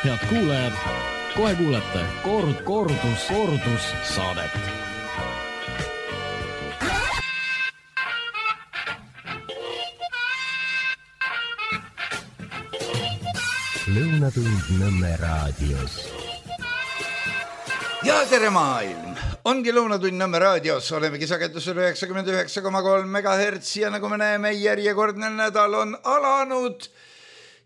Head kuulajad, kohe kuulete kordus saadet. Lõunatund Nõmme raadios. Ja tere maailm! Ongi Lõunatund Nõmme raadios, olemegi sagedusel 99,3 MHz ja nagu me näeme, järjekordne nädal on alanud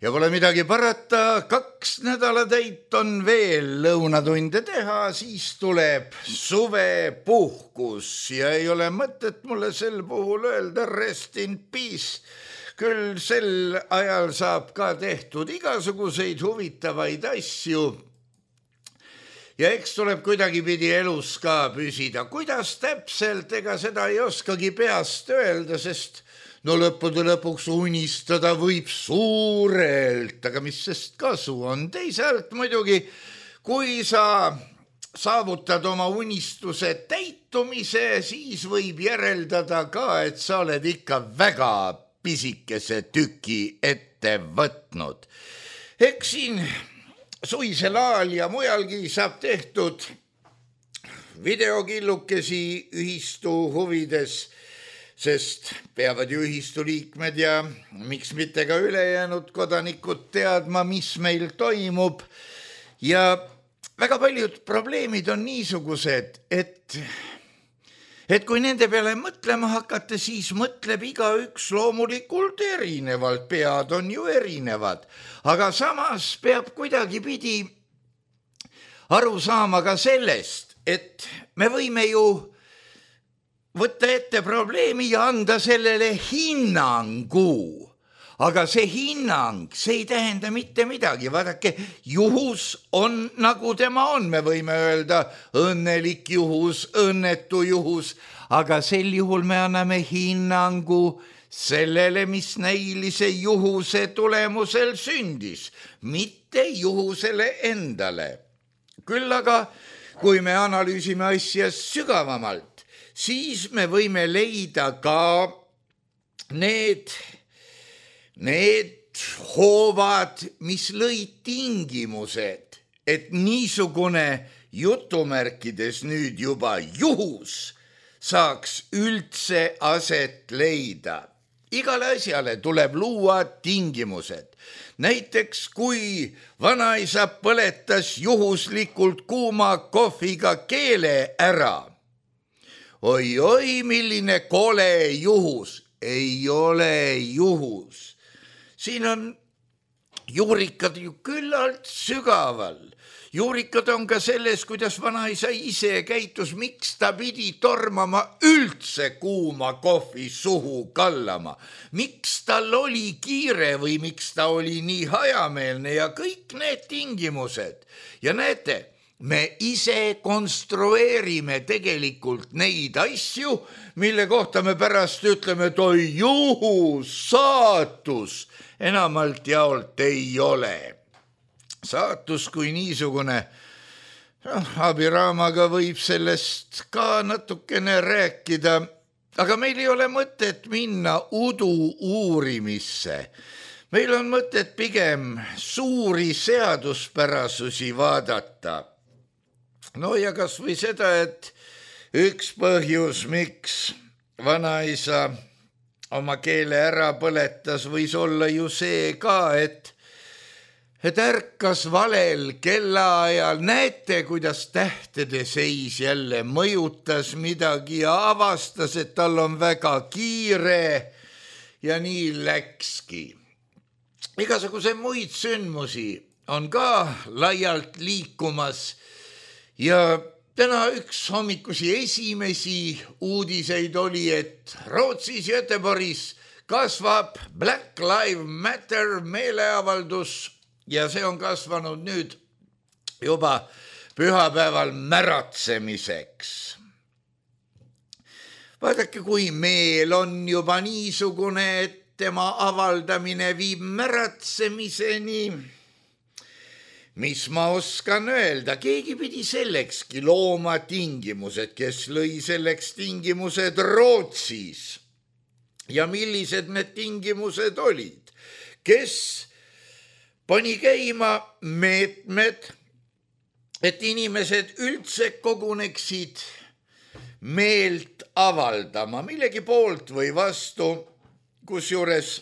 ja pole midagi parata, 2 nädalatäit on veel lõunatunde teha, siis tuleb suvepuhkus ja ei ole mõtet mulle sel puhul öelda rest in peace. Küll sel ajal saab ka tehtud igasuguseid huvitavaid asju ja eks tuleb kuidagipidi elus ka püsida. Kuidas täpselt, ega seda ei oskagi peast öelda, sest no lõppude lõpuks unistada võib suurelt, aga mis sest kasu on. Teisalt muidugi, kui sa saavutad oma unistuse täitumise, siis võib järeldada ka, et sa oled ikka väga pisikese tüki ette võtnud. Eks siin suisel ajal ja mujalgi saab tehtud videokillukesi ühistu huvides, sest peavad ju ühistu liikmed ja miks mitte ka ülejäänud kodanikud teadma, mis meil toimub. Ja väga paljud probleemid on niisugused, et kui nende peale mõtlema hakata, siis mõtleb igaüks loomulikult erinevalt, pead on ju erinevad, aga samas peab kuidagipidi aru saama ka sellest, et me võime ju võtta ette probleemi ja anda sellele hinnangu, aga see hinnang, see ei tähenda mitte midagi. Vaadake, juhus on nagu tema on, me võime öelda õnnelik juhus, õnnetu juhus, aga sel juhul me anname hinnangu sellele, mis näilise juhuse tulemusel sündis, mitte juhusele endale. Küll aga, kui me analüüsime asja sügavamalt, siis me võime leida ka need hoovad, mis lõid tingimused, et niisugune jutumärkides nüüd juba juhus saaks üldse aset leida. Igale asjale tuleb luua tingimused. Näiteks kui vanaisa põletas juhuslikult kuuma kohviga keele ära. Oi, milline kole juhus, ei ole juhus. Siin on juurikad ju küllalt sügaval. Juurikad on ka selles, kuidas vanaisa ise käitus, miks ta pidi tormama üldse kuuma kohvi suhu kallama. Miks tal oli kiire või miks ta oli nii hajameelne ja kõik need tingimused. Ja näete, me ise konstrueerime tegelikult neid asju, mille kohta me pärast ütleme, et oi juhus, saatus, enamalt jaolt ei ole. Saatus kui niisugune, abiraamaga võib sellest ka natukene rääkida, aga meil ei ole mõtet minna udu uurimisse. Meil on mõtet pigem suuri seaduspärasusi vaadata. No ja kas või seda, et üks põhjus, miks vanaisa oma keele ära põletas, võis olla ju see ka, et ärkas valel kellaajal, näete, kuidas tähtede seis jälle mõjutas midagi ja avastas, et tal on väga kiire ja nii läkski. Igasuguse muid sündmusi on ka laialt liikumas ja täna üks hommikusi esimesi uudiseid oli, et Rootsis Göteborgis kasvab Black Lives Matter meeleavaldus ja see on kasvanud nüüd juba pühapäeval märatsemiseks. Vaadake, kui meel on juba niisugune, et tema avaldamine viib märatsemiseni, mis ma oskan öelda, keegi pidi sellekski looma tingimused, kes lõi selleks tingimused Rootsis. Ja millised need tingimused olid? Kes pani käima meetmed, et inimesed üldse koguneksid meelt avaldama millegi poolt või vastu, kusjuures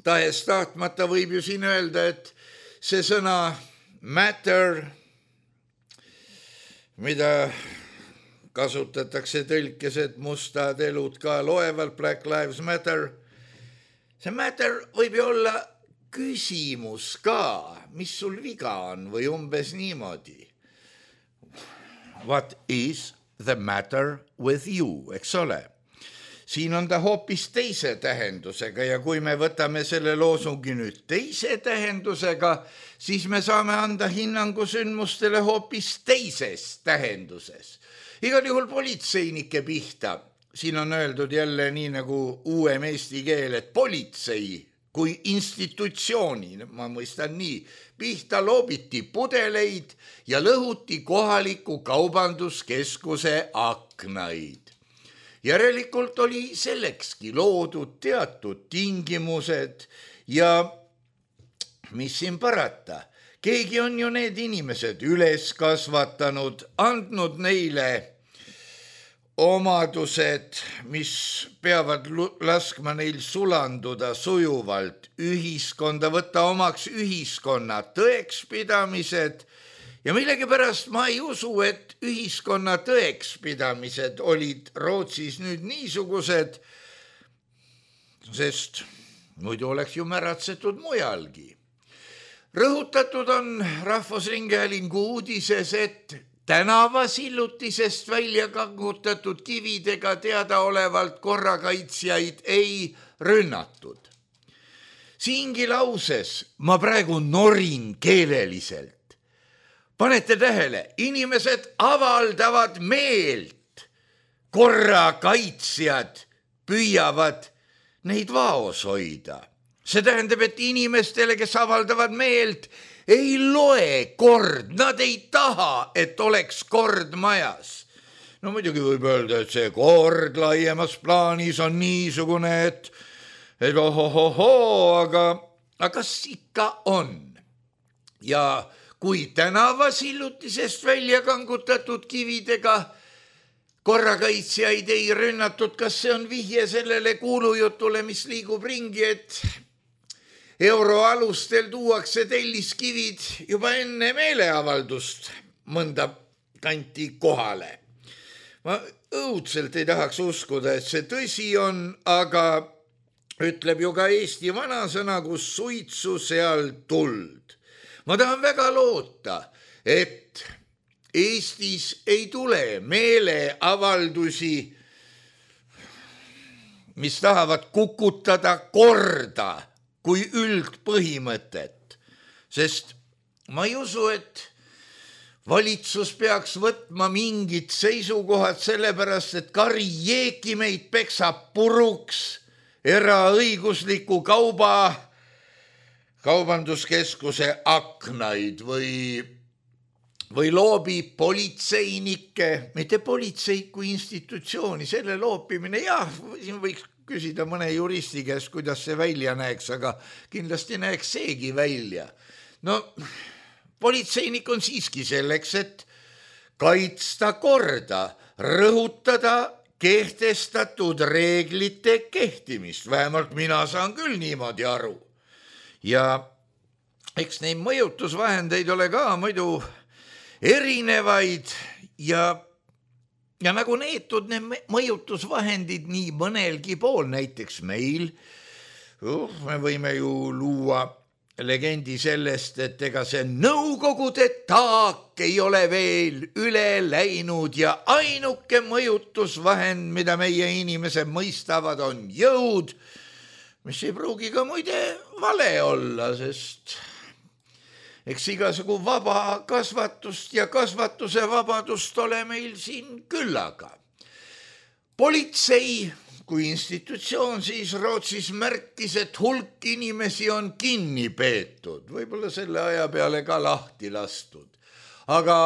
tahes tahtmata võib ju siin öelda, et see sõna matter, mida kasutatakse tõlkes, et mustad elud ka loevad, Black Lives Matter, see matter võib ju olla küsimus ka, mis sul viga on või umbes niimoodi. What is the matter with you, eks ole? Siin on ta hoopis teise tähendusega ja kui me võtame selle loosungi nüüd teise tähendusega, siis me saame anda hinnangu sündmustele hoopis teises tähenduses. Igal juhul politseinike pihta. Siin on öeldud jälle nii nagu uuem eesti keel, et politsei kui institutsiooni, ma mõistan nii, pihta loobiti pudeleid ja lõhuti kohaliku kaubanduskeskuse aknaid. Järelikult oli sellekski loodud teatud tingimused ja mis siin parata, keegi on ju need inimesed üles kasvatanud, andnud neile omadused, mis peavad laskma neil sulanduda sujuvalt ühiskonda, võtta omaks ühiskonna tõekspidamised ja millegipärast ma ei usu, et ühiskonna tõekspidamised olid Rootsis nüüd niisugused, sest muidu oleks ju märatsetud mujalgi. Rõhutatud on Rahvusringhäälingu uudises, et tänavasillutisest välja kangutatud kividega teadaolevalt korrakaitsjaid ei rünnatud. Siingi lauses ma praegu norin keeleliselt. Panete tähele, inimesed avaldavad meelt, korrakaitsjad püüavad neid vaos hoida. See tähendab, et inimestele, kes avaldavad meelt, ei loe kord, nad ei taha, et oleks kord majas. No muidugi võib öelda, et see kord laiemas plaanis on niisugune, et ohohohoo, aga kas ikka on? Ja kui tänavasillutisest välja kangutatud kividega korrakaitsjaid ei rünnatud, kas see on vihje sellele kuulujutule, mis liigub ringi, et euroalustel tuuakse telliskivid juba enne meeleavaldust mõnda kanti kohale. Ma õudselt ei tahaks uskuda, et see tõsi on, aga ütleb ju ka Eesti vanasõna, kus suitsu seal tuld. Ma tahan väga loota, et Eestis ei tule meeleavaldusi, mis tahavad kukutada korda kui üldpõhimõtet, sest ma ei usu, et valitsus peaks võtma mingid seisukohad sellepärast, et Kari Jeekimeid peksab puruks eraõigusliku kaubanduskeskuse aknaid või loobib politseinikke, mitte politsei kui institutsiooni, selle loopimine, jah, siin võiks küsida mõne juristi käest, kuidas see välja näeks, aga kindlasti näeks seegi välja. No, politseinik on siiski selleks, et kaitsta korda, rõhutada kehtestatud reeglite kehtimist, vähemalt mina saan küll niimoodi aru. Ja eks neid mõjutusvahendeid ole ka muidu erinevaid ja nagu neetud need mõjutusvahendid nii mõnelgi pool, näiteks meil, me võime ju luua legendi sellest, et ega see Nõukogude taak ei ole veel üle läinud ja ainuke mõjutusvahend, mida meie inimesed mõistavad, on jõud, mis ei pruugi ka muide vale olla, sest eks igasugu vaba kasvatust ja kasvatuse vabadust ole meil siin küllaga. Politsei kui institutsioon siis Rootsis märkis, et hulk inimesi on kinni peetud, võib-olla selle aja peale ka lahti lastud. Aga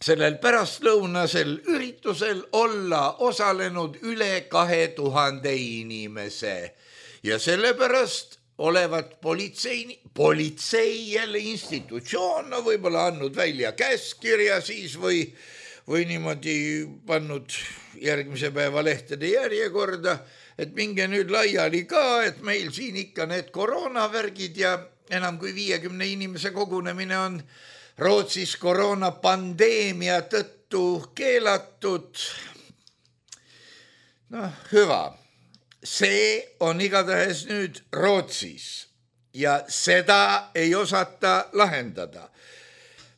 sellel pärastlõunasel üritusel olla osalenud üle 2000 inimese ja sellepärast olevat politsei jälle institutsioon, no võib-olla andnud välja käskkirja siis või niimoodi pannud järgmise päeva lehtede järjekorda, et minge nüüd laiali ka, et meil siin ikka need koroonavärgid ja enam kui 50 inimese kogunemine on Rootsis koroonapandeemia tõttu keelatud. No hüva, see on igatahes nüüd Rootsis ja seda ei osata lahendada.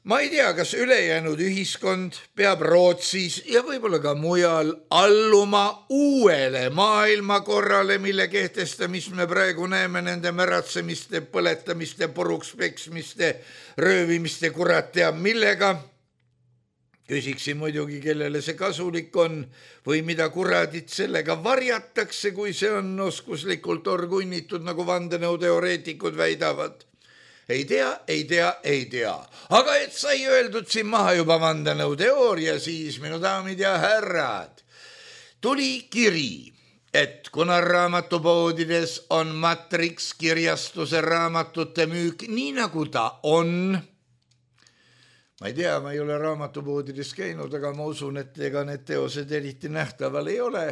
Ma ei tea, kas ülejäänud ühiskond peab Rootsis ja võib-olla ka mujal alluma uuele maailmakorrale, mille kehtestamist me praegu näeme nende märatsemiste, põletamiste, puruks peksmiste, röövimiste, kurat teab millega. Küsiksin muidugi, kellele see kasulik on või mida kuradit sellega varjatakse, kui see on oskuslikult orgunnitud, nagu vandenõuteoreetikud väidavad. Ei tea. Aga et sai öeldud siin maha juba vandenõuteooria, siis minu daamid ja härrad, tuli kiri, et kuna raamatupoodides on Matrix kirjastuse raamatute müük nii nagu ta on, ma ei tea, ma ei ole raamatupoodides käinud, aga ma usun, et ega need teosed eriti nähtaval ei ole.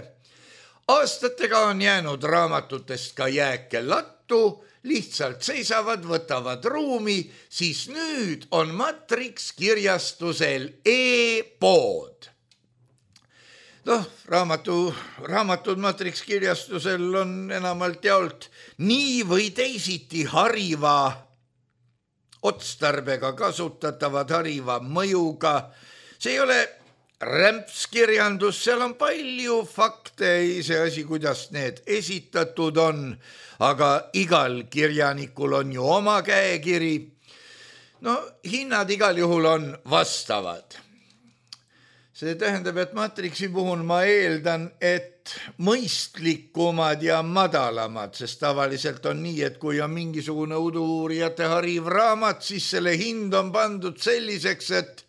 Aastatega on jäänud raamatutest ka jääke lattu, lihtsalt seisavad, võtavad ruumi, siis nüüd on Matrix kirjastusel e-pood. Noh, raamatud Matrix kirjastusel on enamalt jaolt nii või teisiti hariva otstarbega kasutatavad, hariva mõjuga. See ei ole rämpskirjandus, seal on palju fakte, iseasi, kuidas need esitatud on, aga igal kirjanikul on ju oma käekiri. No, hinnad igal juhul on vastavad. See tähendab, et Matrixi puhul ma eeldan, et mõistlikumad ja madalamad, sest tavaliselt on nii, et kui on mingisugune udu-uurijate hariv raamat, siis selle hind on pandud selliseks, et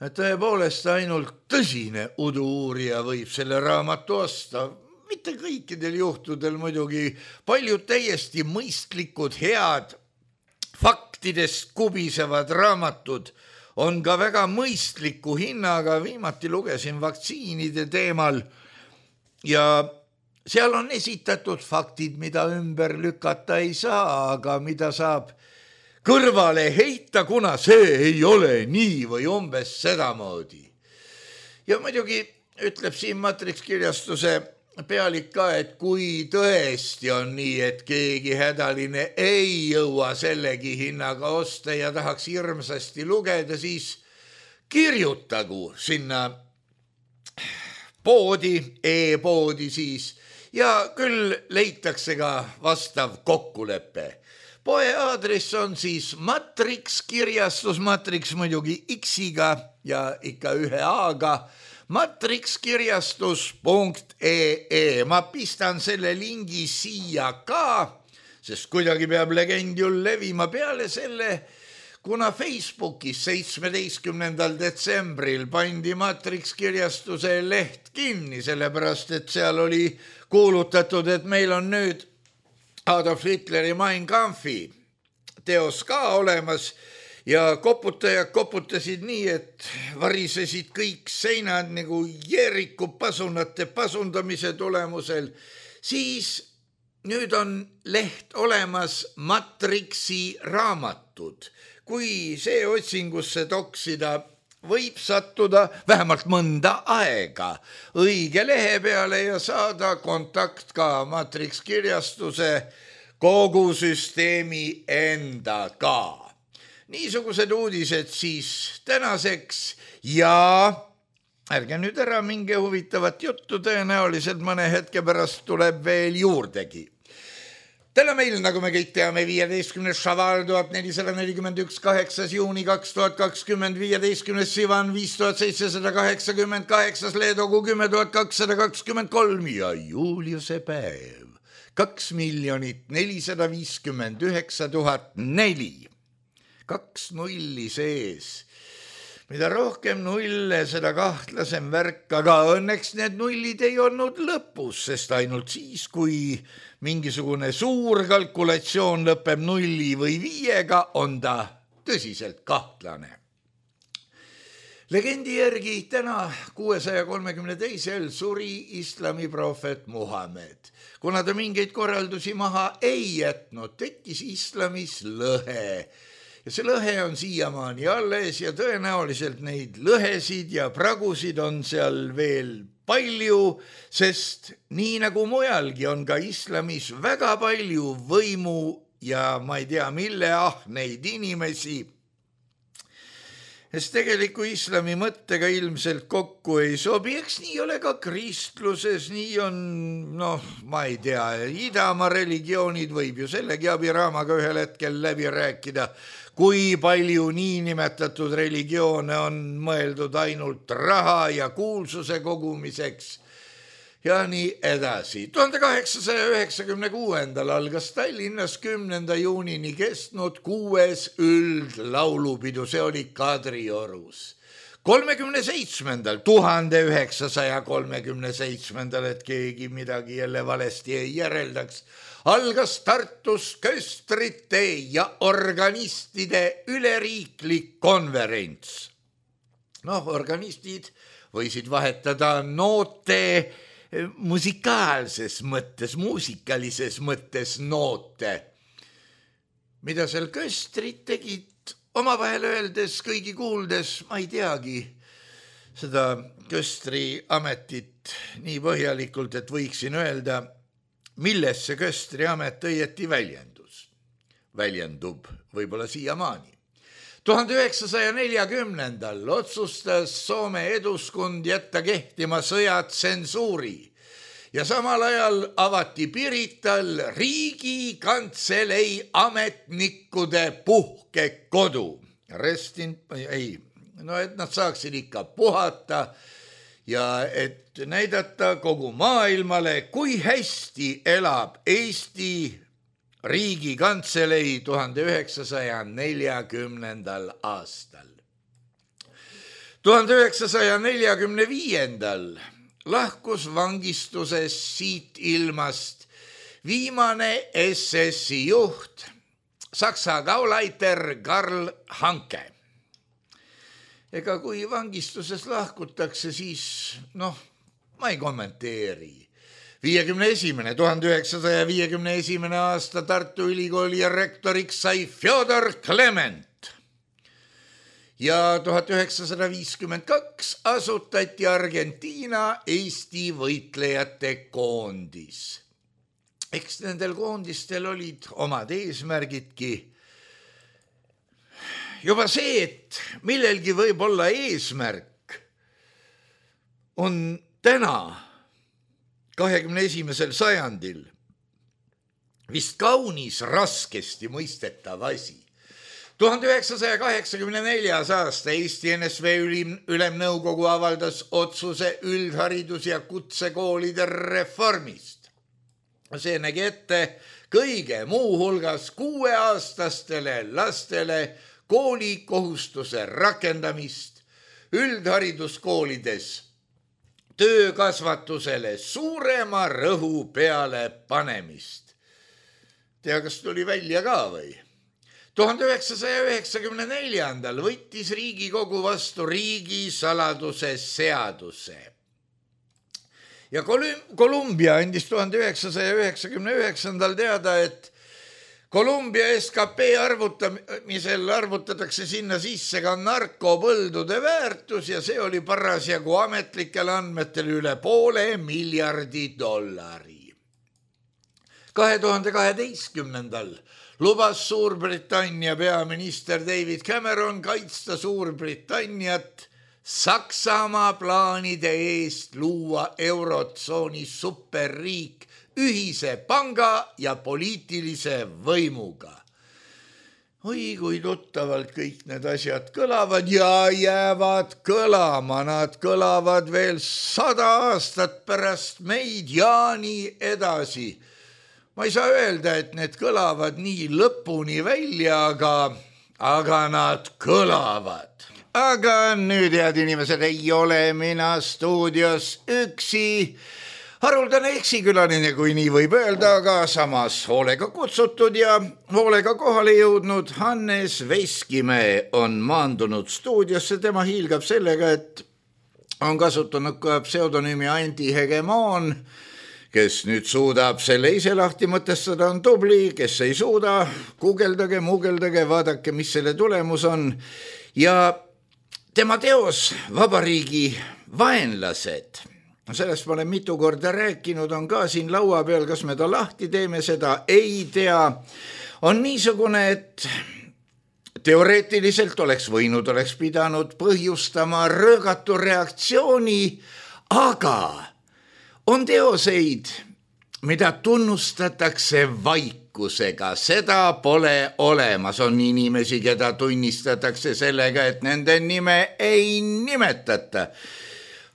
tõepoolest ainult tõsine udu-uurija võib selle raamatu osta. Mitte kõikidel juhtudel muidugi, paljud täiesti mõistlikud, head, faktidest kubisevad raamatud on ka väga mõistliku hinnaga. Viimati lugesin vaktsiinide teemal ja seal on esitatud faktid, mida ümber lükata ei saa, aga mida saab kõrvale heita, kuna see ei ole nii või umbes sedamoodi. Ja muidugi ütleb siin Matrix kirjastuse pealik ka, et kui tõesti on nii, et keegi hädaline ei jõua sellegi hinnaga osta ja tahaks hirmsasti lugeda, siis kirjutagu sinna poodi, e-poodi siis, ja küll leitakse ka vastav kokkulepe. Poe aadress on siis Matrix kirjastus, Matrix muidugi X-iga ja ikka ühe A-ga, matrixkirjastus.ee. Ma pistan selle lingi siia ka, sest kuidagi peab legend ju levima peale selle, kuna Facebookis 17. detsembril pandi Matrix kirjastuse leht kinni, sellepärast et seal oli kuulutatud, et meil on nüüd Adolf Hitleri Mein Kampfi teos ka olemas ja koputajad koputasid nii, et varisesid kõik seinad nagu Jeeriku pasunate pasundamise tulemusel. Siis nüüd on leht olemas Matrixi raamatud. Kui see otsingusse toksida, võib sattuda vähemalt mõnda aega õige lehe peale ja saada kontakt ka Matrix kirjastuse kogu süsteemi endaga. Niisugused uudised siis tänaseks ja ärge nüüd ära minge huvitavat juttu, tõenäoliselt mõne hetke pärast tuleb veel juurdegi. Täna meil, nagu me kõik teame, 15. Šaval 1441, 8. juuni 2020, 15. Sivan 5788, Leedogu 10.223 ja Juliuse päev 2 459 004. 2 nulli sees. mida rohkem nulle, seda kahtlasem värk, aga õnneks need nullid ei olnud lõpus, sest ainult siis, kui mingisugune suur kalkulatsioon lõpeb 0 või 5-ga, on ta tõsiselt kahtlane. Legendi järgi täna 632. suri islami prohvet Muhamed. Kuna ta mingeid korraldusi maha ei jätnud, tekkis islamis lõhe. Ja see lõhe on siiamaani alles ja tõenäoliselt neid lõhesid ja pragusid on seal veel palju, sest nii nagu mujalgi on ka islamis väga palju võimu ja ma ei tea, mille ahneid inimesi, sest tegeliku islami mõttega ilmselt kokku ei sobi. Eks nii ole ka kristluses, nii on, ma ei tea, idamaa religioonid võib ju sellegi abiraamaga ühel hetkel läbi rääkida, kui palju niinimetatud religioone on mõeldud ainult raha ja kuulsuse kogumiseks ja nii edasi. 1896. algas Tallinnas 10. juunini kestnud 6. üldlaulupidu, see oli Kadriorus. 1937, et keegi midagi jälle valesti ei järeldaks, algas Tartus köstrite ja organistide üleriiklik konverents. Organistid võisid vahetada noote musikaalses mõttes, muusikalises mõttes noote. Mida seal köstrid tegid? Omavahel öeldes, kõigi kuuldes, ma ei teagi seda köstri ametit nii põhjalikult, et võiksin öelda, milles see köstri amet õieti väljendub võib-olla siiamaani. 1940. otsustas Soome Eduskund jätta kehtima sõjatsensuuri ja samal ajal avati Pirital Riigikantselei ametnikkude puhkekodu. Et nad saaksid ikka puhata ja et näidata kogu maailmale, kui hästi elab Eesti Riigikantselei 1940. aastal. 1945. lahkus vangistuses siit ilmast viimane SS-i juht, Saksa Gauleiter Karl Hanke. Ega kui vangistuses lahkutakse, siis ma ei kommenteeri. 1951. aasta Tartu Ülikooli rektoriks sai Fjodor Klement ja 1952 asutati Argentiina Eesti võitlejate koondis. Eks nendel koondistel olid omad eesmärgidki. Juba see, et millelgi võib olla eesmärk, on täna 21. sajandil vist kaunis raskesti mõistetav asi. 1984. aasta Eesti NSV ülemnõukogu avaldas otsuse üldharidus- ja kutsekoolide reformist. See nägi ette kõige muu hulgas 6-aastastele lastele koolikohustuse rakendamist, üldhariduskoolides töökasvatusele suurema rõhu peale panemist. Tea, kas tuli välja ka või? 1994. võttis Riigikogu vastu riigisaladuse seaduse. Ja Kolumbia andis 1999. teada, et Kolumbia SKP arvutamisel arvutatakse sinna sisse ka narkopõldude väärtus ja see oli parasjagu ametlikel andmetel üle $500 miljardi. 2012. lubas Suurbritannia peaminister David Cameron kaitsta Suurbritanniat Saksamaa plaanide eest luua eurotsooni superriik ühise panga ja poliitilise võimuga. Oi, kui tuttavalt kõik need asjad kõlavad ja jäävad kõlama, nad kõlavad veel 100 aastat pärast meid ja nii edasi. Ma ei saa öelda, et need kõlavad nii lõpuni välja, aga nad kõlavad. aga nüüd, head inimesed, ei ole mina stuudios üksi. Haruldane eksikülaline, kui nii võib öelda, aga samas hoolega kutsutud ja hoolega kohale jõudnud Hannes Veskimäe on maandunud stuudiosse. Tema hiilgab sellega, et on kasutanud ka pseudonüümi Andi Hegemoon, kes nüüd suudab selle ise lahti mõtestada, on tubli, kes ei suuda, guugeldage, muugeldage, vaadake, mis selle tulemus on. Ja tema teos Vabariigi vaenlased, sellest ma olen mitu korda rääkinud, on ka siin laua peal, kas me ta lahti teeme, seda ei tea. On niisugune, et teoreetiliselt oleks pidanud põhjustama röögatu reaktsiooni, aga on teoseid, mida tunnustatakse vaikusega, seda pole olemas. On inimesi, keda tunnistatakse sellega, et nende nime ei nimetata.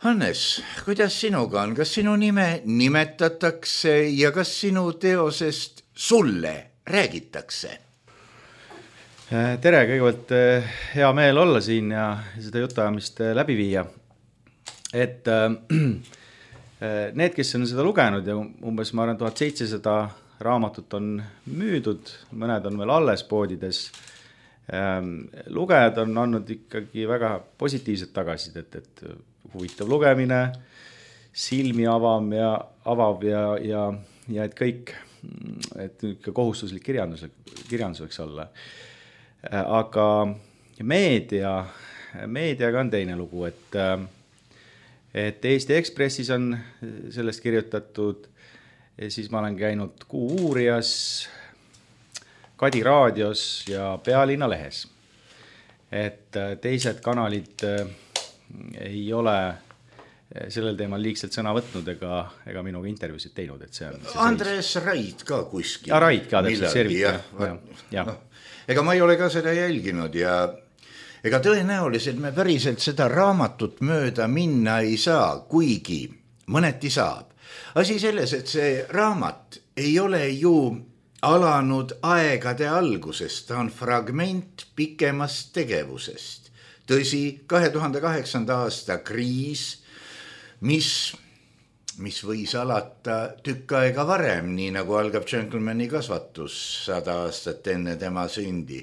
Hannes, kuidas sinuga on? Kas sinu nime nimetatakse ja kas sinu teosest sulle räägitakse? Tere, kõigepealt hea meel olla siin ja seda jutuajamist läbi viia. Et need, kes on seda lugenud ja umbes ma arvan 1700 raamatut on müüdud, mõned on veel alles poodides. Lugejad on andnud ikkagi väga positiivset tagasisidet, et huvitav lugemine, silmi avav ja et kõik, et kohustuslik kirjandus võiks olla. Aga meediaga on teine lugu, et Eesti Ekspressis on sellest kirjutatud, siis ma olen käinud Kuuuurijas, Kadi raadios ja Pealinna lehes. Et teised kanalid ei ole sellel teemal liigselt sõna võtnud ega minuga intervjuusid teinud. Et see on Andres Raid ka kuskil. Ja Raid ka täpselt servita. No, ega ma ei ole ka seda jälginud ja ega tõenäoliselt me päriselt seda raamatut mööda minna ei saa, kuigi mõneti saab. Asi selles, et see raamat ei ole ju alanud aegade algusest, ta on fragment pikemast tegevusest. Tõsi, 2008. aasta kriis, mis võis alata tükk aega varem, nii nagu algab Gentlemani kasvatus 100 aastat enne tema sündi.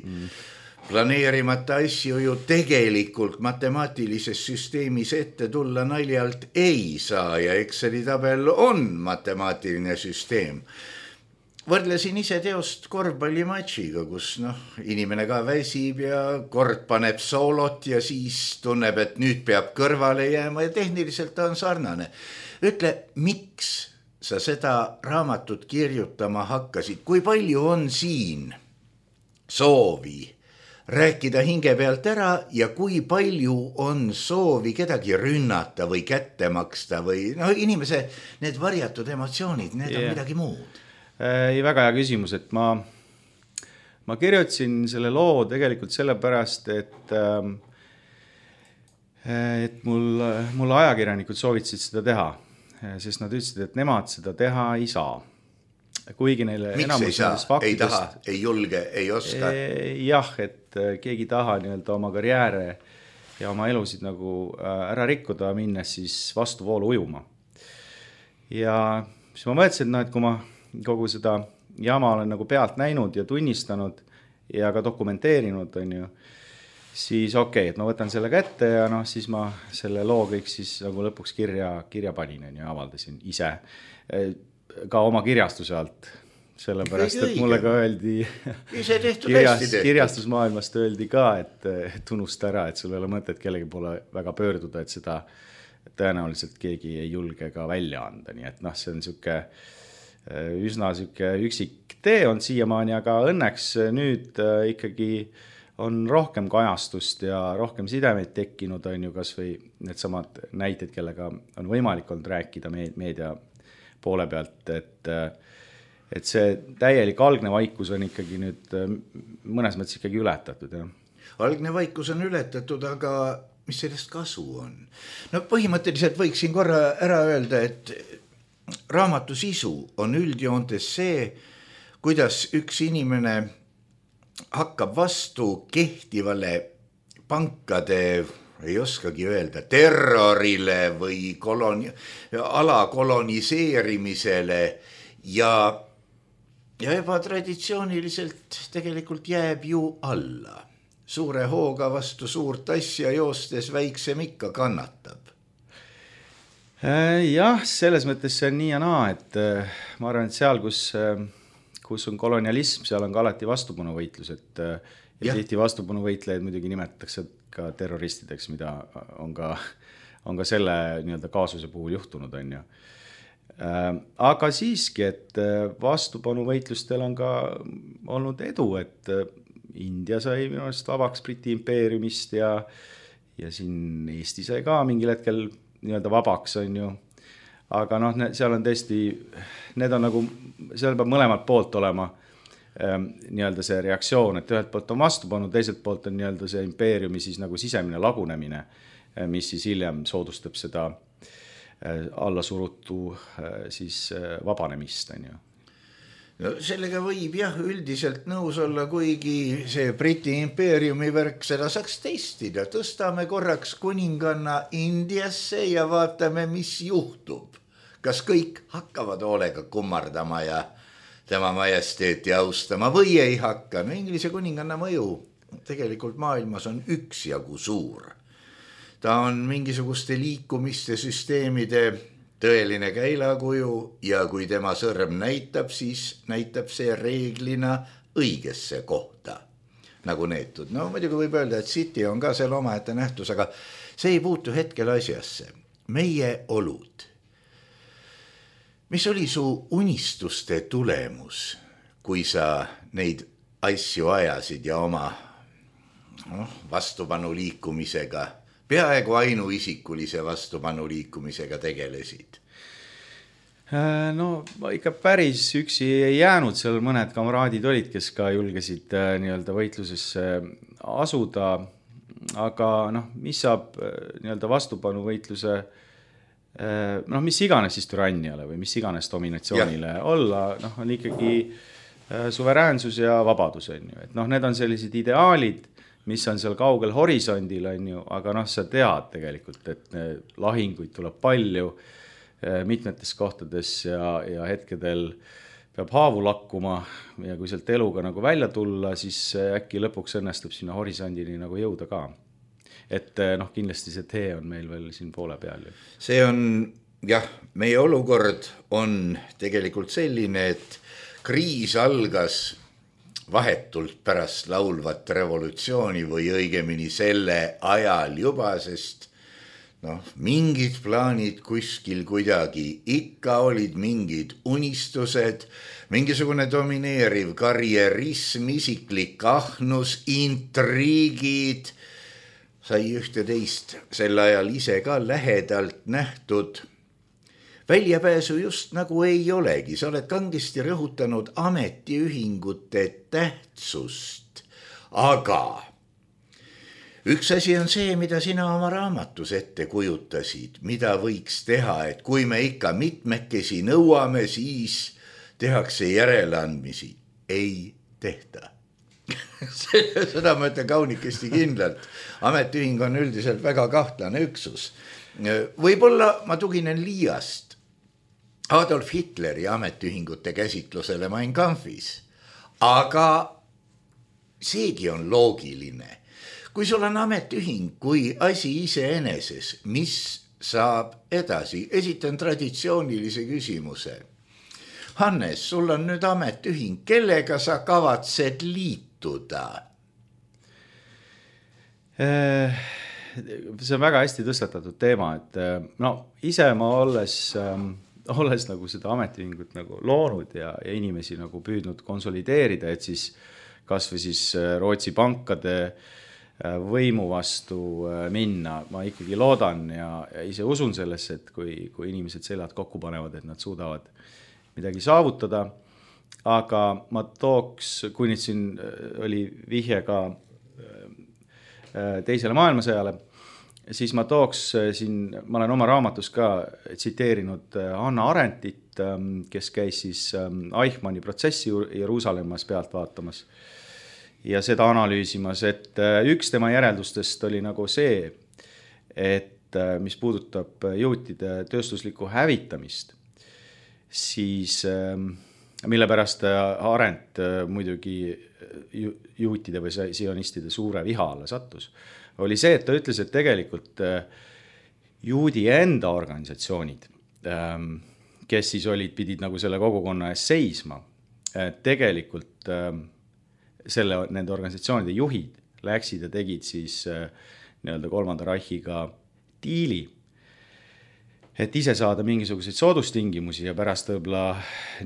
Planeerimata asju ju tegelikult matemaatilises süsteemis ette tulla naljalt ei saa ja Exceli tabel on matemaatiline süsteem. Võrdlesin ise teost korvpallimatšiga, kus inimene ka väsib ja kord paneb soolot ja siis tunneb, et nüüd peab kõrvale jääma ja tehniliselt ta on sarnane. Ütle, miks sa seda raamatut kirjutama hakkasid? Kui palju on siin soovi rääkida hinge pealt ära ja kui palju on soovi kedagi rünnata või kätte maksta või inimese need varjatud emotsioonid, need on midagi muud. Ei, väga hea küsimus, et ma kirjutasin selle loo tegelikult sellepärast, et mul ajakirjanikud soovitasid seda teha, sest nad ütlesid, et nemad seda teha ei saa. Kuigi neile miks ei saa? Ei taha, ei julge, ei oska? Jah, et keegi taha oma karjääre ja oma elusid nagu ära rikkuda minnes siis vastuvoolu ujuma. Ja siis ma mõtlesin, et kui ma kogu seda jama olen nagu pealt näinud ja tunnistanud ja ka dokumenteerinud, siis okei, et ma võtan selle kätte ja siis ma selle loo kõik siis nagu lõpuks kirja panin ja avaldasin ise ka oma kirjastuse alt. Sellepärast, et mulle ka öeldi kirjastusmaailmast öeldi ka, et unusta ära, et sul ei ole mõtet kellegi poole väga pöörduda, et seda tõenäoliselt keegi ei julge ka välja anda. Nii et see on üsna üksik tee on siiamaani, aga õnneks nüüd ikkagi on rohkem kajastust ja rohkem sidemeid tekkinud, kas või need samad näited, kellega on võimalik olnud rääkida meedia poole pealt, et see täielik algne vaikus on ikkagi nüüd mõnes mõttes ikkagi ületatud. Ja. Algne vaikus on ületatud, aga mis sellest kasu on? Põhimõtteliselt võiksin korra ära öelda, et raamatu sisu on üldjoontes see, kuidas üks inimene hakkab vastu kehtivale pankade, ei oskagi öelda, terrorile või ala koloniseerimisele ja ebatraditsiooniliselt tegelikult jääb ju alla. Suure hooga vastu suurt asja joostes väiksem ikka kannatab. Jah, selles mõttes see on nii ja naa, et ma arvan, et seal, kus on kolonialism, seal on ka alati vastupanuvõitlus, et ja tihti vastupanuvõitlejaid muidugi nimetatakse ka terroristideks, mida on ka selle nii-öelda kaasuse puhul juhtunud, on ju. Aga siiski, et vastupanuvõitlustel on ka olnud edu, et India sai minu arust vabaks Briti impeeriumist ja siin Eesti sai ka mingil hetkel nii-öelda vabaks, on ju. Aga seal on tõesti, need on nagu, seal peab mõlemalt poolt olema nii-öelda see reaktsioon, et ühelt poolt on vastupanu, teiselt poolt on nii-öelda see impeeriumi siis nagu sisemine lagunemine, mis siis hiljem soodustab seda allasurutu siis vabanemist, on ju. No, sellega võib üldiselt nõus olla, kuigi see Briti impeeriumi värk, seda saaks testida. Tõstame korraks kuninganna Indiasse ja vaatame, mis juhtub. Kas kõik hakkavad hoolega kummardama ja tema majesteeti austama või ei hakka? No Inglise kuninganna mõju tegelikult maailmas on üksjagu suur. Ta on mingisuguste liikumiste süsteemide tõeline käilakuju ja kui tema sõrm näitab, siis näitab see reeglina õigesse kohta, nagu neetud. No muidugi võib öelda, et City on ka seal omaette nähtus, aga see ei puutu hetkel asjasse. Meie olud. Mis oli su unistuste tulemus, kui sa neid asju ajasid ja oma vastupanu liikumisega peaaegu ainuisikulise vastupanu liikumisega tegelesid? No ikka päris üksi ei jäänud, seal mõned kamraadid olid, kes ka julgesid nii-öelda võitlusesse asuda, aga mis saab nii-öelda vastupanu võitluse, mis iganes siis türanniale või mis iganes dominatsioonile olla, on ikkagi suveräänsus ja vabadus, on ju. Et need on sellised ideaalid, mis on seal kaugel horisondil, on ju, aga sa tead tegelikult, et lahinguid tuleb palju mitmetes kohtades ja hetkedel peab haavu lakkuma ja kui sealt eluga nagu välja tulla, siis äkki lõpuks õnnestub sinna horisondini nagu jõuda ka. Et kindlasti see tee on meil veel siin poole peal. See on, meie olukord on tegelikult selline, et kriis algas vahetult pärast laulvat revolutsiooni või õigemini selle ajal juba, sest mingid plaanid kuskil kuidagi ikka olid, mingid unistused, mingisugune domineeriv karjerism, isiklik ahnus, intriigid, sai ühte teist sel ajal ise ka lähedalt nähtud. Väljapääsu just nagu ei olegi, sa oled kangesti rõhutanud ametiühingute tähtsust, aga üks asi on see, mida sina oma raamatus ette kujutasid, mida võiks teha, et kui me ikka mitmekesi nõuame, siis tehakse järeleandmisi. Ei tehta. Seda ma ütlen kaunikesti kindlalt. Ametiühing on üldiselt väga kahtlane üksus. Võib-olla ma tuginen liiast Adolf Hitleri ametiühingute käsitlusele Mein Kampfis, aga seegi on loogiline. Kui sul on ametiühing kui asi iseeneses, mis saab edasi? Esitan traditsioonilise küsimuse. Hannes, sul on nüüd ametiühing, kellega sa kavatsed liituda? See on väga hästi tõstatatud teema, et ise ma olles nagu seda ametiühingut nagu loonud ja inimesi nagu püüdnud konsolideerida, et siis kas või siis Rootsi pankade võimu vastu minna. Ma ikkagi loodan ja ise usun sellesse, et kui inimesed seljad kokku panevad, et nad suudavad midagi saavutada. Aga ma tooks, kui nüüd siin oli vihje ka teisele maailmasõjale, siis ma tooks siin, ma olen oma raamatus ka tsiteerinud Hannah Arendtit, kes käis siis Eichmanni protsessi Jeruusalemmas pealt vaatamas. ja seda analüüsimas, et üks tema järeldustest oli nagu see, et mis puudutab juutide tööstuslikku hävitamist, siis mille pärast Arendt muidugi juutide või sionistide suure viha alla sattus, oli see, et ta ütles, et tegelikult juudi enda organisatsioonid, kes siis pidid nagu selle kogukonna ees seisma, tegelikult nende organisatsioonide juhid läksid ja tegid siis nii-öelda Kolmanda Reichiga diili, et ise saada mingisuguseid soodustingimusi ja pärast võib-olla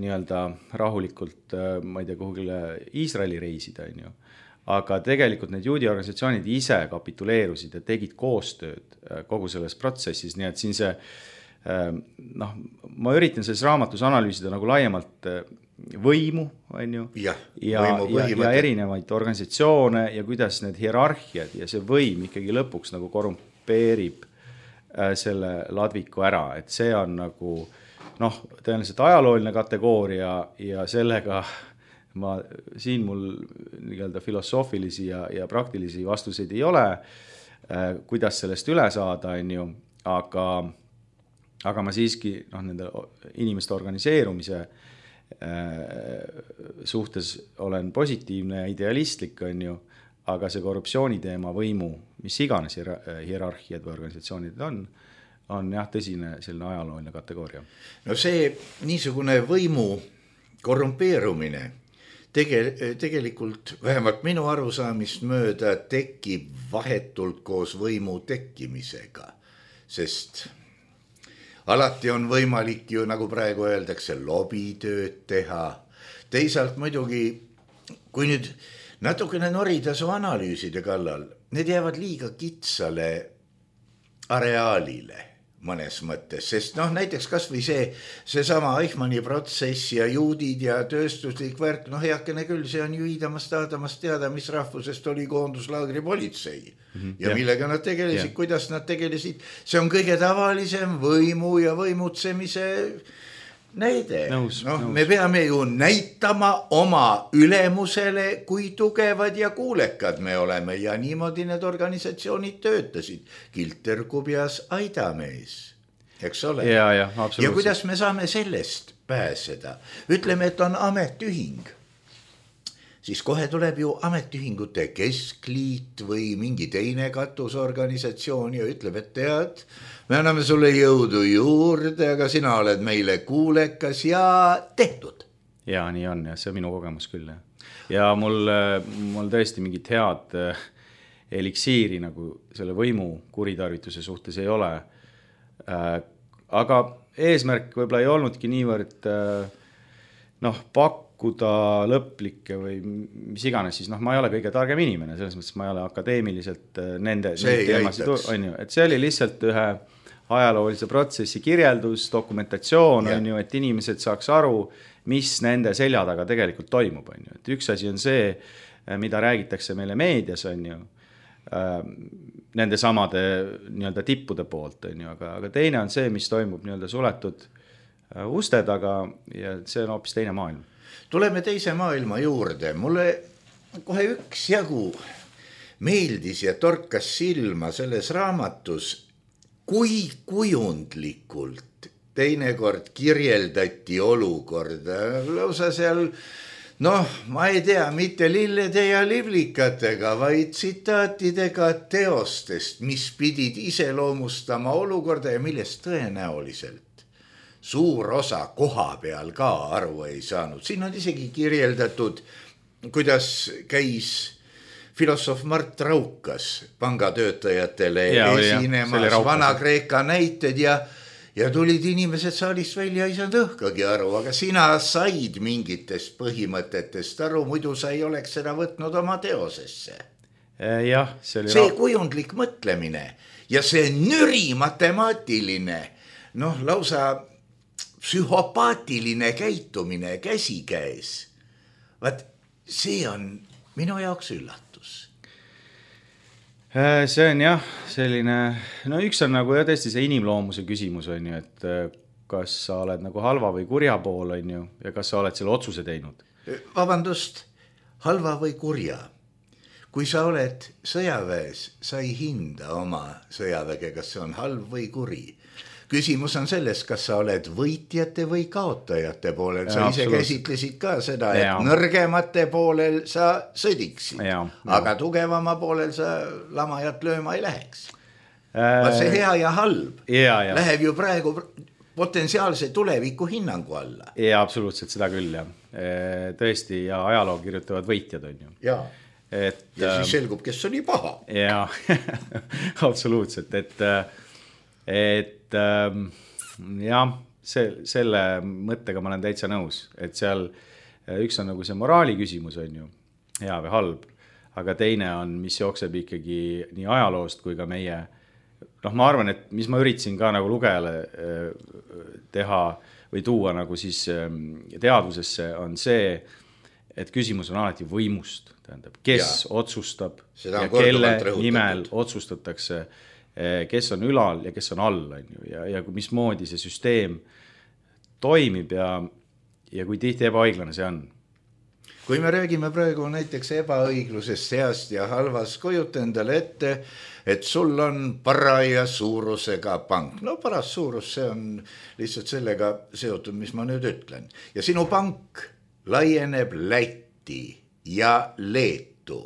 nii-öelda rahulikult, ma ei tea, kuhugile Iisraeli reisida, on ju. Aga tegelikult need juudi organisatsioonid ise kapituleerusid ja tegid koostööd kogu selles protsessis, nii et siin see, ma üritan selles raamatus analüüsida nagu laiemalt võimu, on ju, ja erinevaid organisatsioone ja kuidas need hierarhiad ja see võim ikkagi lõpuks nagu korrumpeerib selle ladviku ära, et see on nagu tõenäoliselt ajalooline kategooria ja sellega siin mul nii-öelda filosoofilisi ja praktilisi vastuseid ei ole, kuidas sellest üle saada, on ju, aga ma siiski nende inimeste organiseerumise suhtes olen positiivne ja idealistlik, on ju, aga see korruptsiooniteema võimu, mis iganes hierarhiad või organisatsioonid on jah, tõsine selline ajalooline kategooria. No see niisugune võimu korrumpeerumine tegelikult vähemalt minu arusaamist mööda tekib vahetult koos võimu tekkimisega, sest alati on võimalik ju, nagu praegu öeldakse, lobitööd teha. Teisalt muidugi, kui nüüd natukene norida su analüüside kallal, need jäävad liiga kitsale areaalile mõnes mõttes, sest näiteks kas või see sama Eichmanni protsess ja juudid ja tööstuslik värk, heakene küll, see on ju iidamast teada, mis rahvusest oli koonduslaagri politsei ja millega nad tegelesid, kuidas nad tegelesid, see on kõige tavalisem võimu ja võimutsemise näide. Me peame ju näitama oma ülemusele, kui tugevad ja kuulekad me oleme ja niimoodi need organisatsioonid töötasid. Kilter Kubjas aidamees, eks ole? Ja, absoluutselt. Ja kuidas me saame sellest pääseda? Ütleme, et on ametiühing. Siis kohe tuleb ju ametiühingute keskliit või mingi teine katusorganisatsioon ja ütleb, et tead, me anname sulle jõudu juurde, aga sina oled meile kuulekas ja tehtud. Ja, nii on ja see on minu kogemus küll. Ja mul tõesti mingit head eliksiiri nagu selle võimu kuritarvituse suhtes ei ole. Aga eesmärk võib-olla ei olnudki niivõrd pakkuda lõplikke või mis iganes, siis ma ei ole kõige targem inimene, selles mõttes ma ei ole akadeemiliselt nende teemasid, on ju, et see oli lihtsalt ühe ajaloolise protsessi kirjeldus, dokumentatsioon, on ju, et inimesed saaks aru, mis nende selja taga tegelikult toimub, on ju, et üks asi on see, mida räägitakse meile meedias, on ju, nende samade nii-öelda tippude poolt, on ju, aga teine on see, mis toimub nii-öelda suletud uste taga ja see on hoopis teine maailm. Tuleme teise maailma juurde. Mulle kohe üksjagu meeldis ja torkas silma selles raamatus, kui kujundlikult teinekord kirjeldati olukorda. Lausa seal, ma ei tea, mitte lillede ja livlikatega, vaid tsitaatidega teostest, mis pidid iseloomustama olukorda ja millest tõenäoliselt suur osa koha peal ka aru ei saanud. Siin on isegi kirjeldatud, kuidas käis filosoof Mart Raukas pangatöötajatele esinemas Vana-Kreeka näited ja tulid inimesed saalist välja, ei saanud õhkagi aru, aga sina said mingitest põhimõtetest aru, muidu sa ei oleks seda võtnud oma teosesse. Jah, see kujundlik mõtlemine ja see nüri matemaatiline, lausa psühhopaatiline käitumine käsikäes. Vaat see on minu jaoks üllatus. See on jah, selline, üks on nagu tõesti see inimloomuse küsimus, on ju, et kas sa oled nagu halva või kurja pool, on ju, ja kas sa oled selle otsuse teinud? Vabandust, halva või kurja? kui sa oled sõjaväes, sa ei hinda oma sõjaväge, kas see on halb või kuri. Küsimus on selles, kas sa oled võitjate või kaotajate poolel. Sa ise käsitlesid ka seda, et nõrgemate poolel sa sõdiksid, aga tugevama poolel sa lamajat lööma ei läheks. See hea ja halb läheb ju praegu potentsiaalse tuleviku hinnangu alla. Ja absoluutselt seda küll, jah. Tõesti, ja ajaloo kirjutavad võitjad on ju. Ja siis selgub, kes oli paha. Ja, absoluutselt, et jah, selle mõttega ma olen täitsa nõus, et seal üks on nagu see moraali küsimus on ju, hea või halb, aga teine on, mis jookseb ikkagi nii ajaloost kui ka meie, ma arvan, et mis ma üritasin ka nagu lugejale teha või tuua nagu siis teadvusesse on see, et küsimus on alati võimust, tähendab, kes otsustab ja kelle nimel otsustatakse, kes on ülal ja kes on all, on ju, ja mismoodi see süsteem toimib ja kui tihti ebaõiglane see on. Kui me räägime praegu näiteks ebaõiglusest seast ja halvas, kujuta endale ette, et sul on paraja suurusega pank. No paras suurus, see on lihtsalt sellega seotud, mis ma nüüd ütlen. Ja sinu pank laieneb Läti ja Leetu.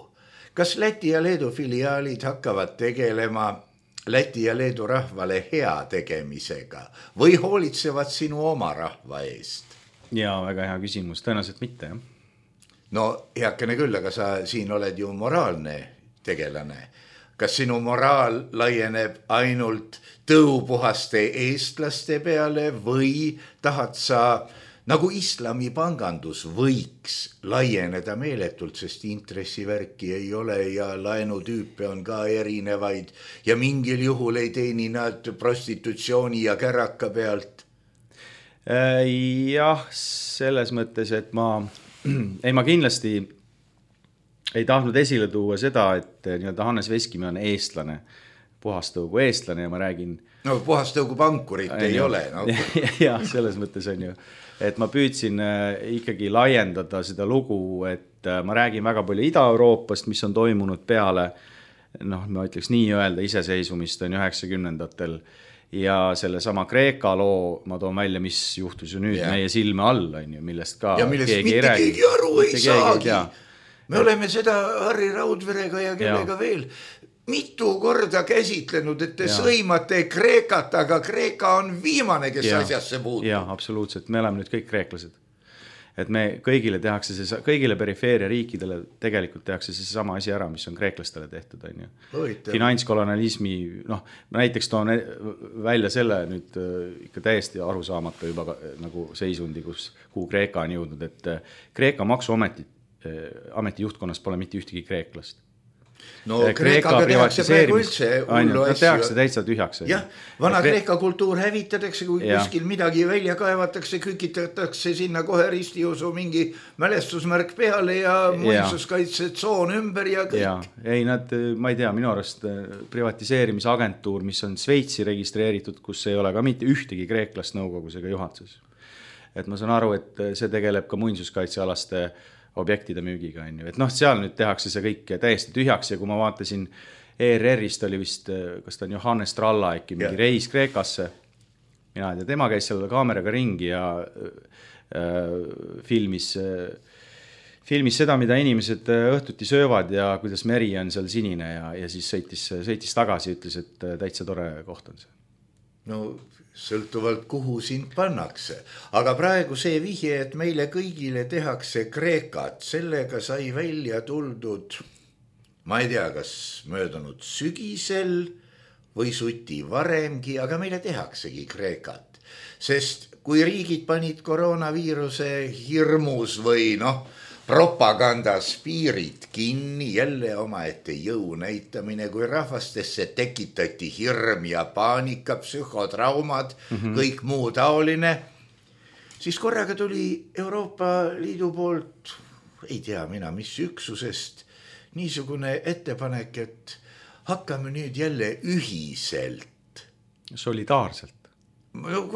Kas Läti ja Leedu filiaalid hakkavad tegelema Läti ja Leedu rahvale hea tegemisega või hoolitsevad sinu oma rahva eest? Ja väga hea küsimus, tõenäoliselt mitte, jah. No heakene küll, aga sa siin oled ju moraalne tegelane. Kas sinu moraal laieneb ainult tõupuhaste eestlaste peale või tahad sa, nagu islamipangandus võiks laieneda meeletult, sest intressivärki ei ole ja laenutüüpe on ka erinevaid ja mingil juhul ei teeni nad prostitutsiooni ja käraka pealt? Jah, selles mõttes, et ma kindlasti ei tahtnud esile tuua seda, et Hannes Veskimäe on eestlane, puhastõugu eestlane ja ma räägin... No puhastõugu pankurit ei ole. No. Ja selles mõttes on ju, et ma püüdsin ikkagi laiendada seda lugu, et ma räägin väga palju Ida-Euroopast, mis on toimunud peale, ma ütleks nii öelda, iseseisvumist on 90-ndatel ja selle sama Kreeka loo ma toon välja, mis juhtus ju nüüd meie silme all, on ju, millest ka ja millest keegi mitte keegi aru ei saagi. Me oleme seda Harri Raudverega ja kellega veel mitu korda käsitlenud, et te sõimate Kreekat, aga Kreeka on viimane, kes asjasse puutub. Ja, absoluutselt. Me oleme nüüd kõik kreeklased. Et me kõigile tehakse kõigile perifeeria riikidele tegelikult tehakse see sama asi ära, mis on kreeklastele tehtud, on ju. Finantskolonialismi, näiteks toon välja selle nüüd ikka täiesti arusaamata juba nagu seisundi, kuhu Kreeka on jõudnud, et Kreeka maksuameti juhtkonnas pole mitte ühtegi kreeklast. No Kreekaga tehakse praegu üldse hullu asju. Tehakse täitsa tühjaks. Jah, vana Kreeka kultuur hävitatakse, kui kuskil midagi välja kaevatakse, kükitatakse sinna kohe ristiusu mingi mälestusmärk peale ja muinsuskaitsetsoon ümber ja kõik. Ja, ei nad, ma ei tea, minu arust privatiseerimisagentuur, mis on Sveitsi registreeritud, kus ei ole ka mitte ühtegi kreeklast nõukogus ega juhatuses. Et ma saan aru, et see tegeleb ka muinsuskaitsealaste objektide müügiga, on ju. Et seal nüüd tehakse see kõik täiesti tühjaks ja kui ma vaatasin ERR-ist oli vist, kas ta on Johannes Tralla äkki mingi reis Kreekasse, mina ei tea, tema käis selle kaameraga ringi ja filmis seda, mida inimesed õhtuti söövad ja kuidas meri on seal sinine ja siis sõitis tagasi ja ütles, et täitsa tore koht on see. No sõltuvalt kuhu sind pannakse, aga praegu see vihje, et meile kõigile tehakse Kreekat, sellega sai välja tuldud, ma ei tea, kas möödunud sügisel või suti varemgi, aga meile tehaksegi Kreekat, sest kui riigid panid koroonaviiruse hirmus või propagandas piirid kinni, jälle omaette jõu näitamine, kui rahvastesse tekitati hirm ja paanika, psühhotraumad, kõik muu taoline, siis korraga tuli Euroopa Liidu poolt, ei tea mina, mis üksusest, niisugune ettepanek, et hakkame nüüd jälle ühiselt. Solidaarselt.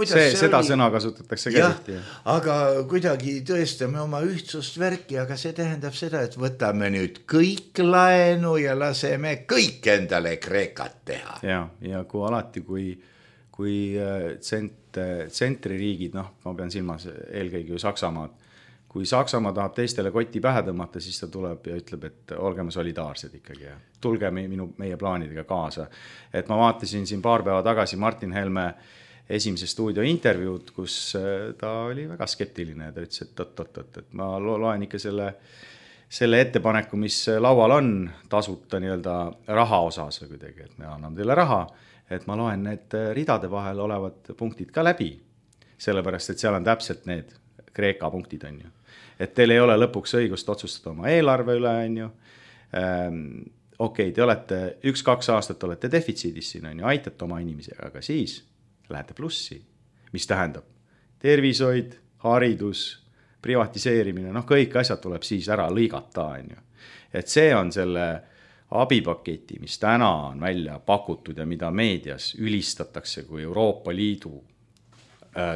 seda sõna kasutatakse ka tihti. Aga kuidagi tõestame oma ühtsust värki, aga see tähendab seda, et võtame nüüd kõik laenu ja laseme kõik endale Kreekat teha. Ja kui alati, kui tsentririigid, ma pean silmas eelkõige ju Saksamaad, kui Saksamaa tahab teistele koti pähe tõmmata, siis ta tuleb ja ütleb, et olgeme solidaarsed ikkagi ja tulge meie plaanidega kaasa. Et ma vaatasin siin paar päeva tagasi Martin Helme esimese stuudio intervjuud, kus ta oli väga skeptiline ja ta ütles, et ma loen ikka selle ettepaneku, mis laual on tasuta nii-öelda raha osas või kuidagi, et me anname teile raha, et ma loen need ridade vahel olevad punktid ka läbi, sellepärast, et seal on täpselt need Kreeka punktid on ju. Et teil ei ole lõpuks õigust otsustada oma eelarve üle on ju. Okei, te olete 1-2 aastat olete defitsiidis siin on ju, aitate oma inimesi, aga siis lähete plussi, mis tähendab tervishoid, haridus, privatiseerimine, kõik asjad tuleb siis ära lõigata on ju. Et see on selle abipaketi, mis täna on välja pakutud ja mida meedias ülistatakse kui Euroopa Liidu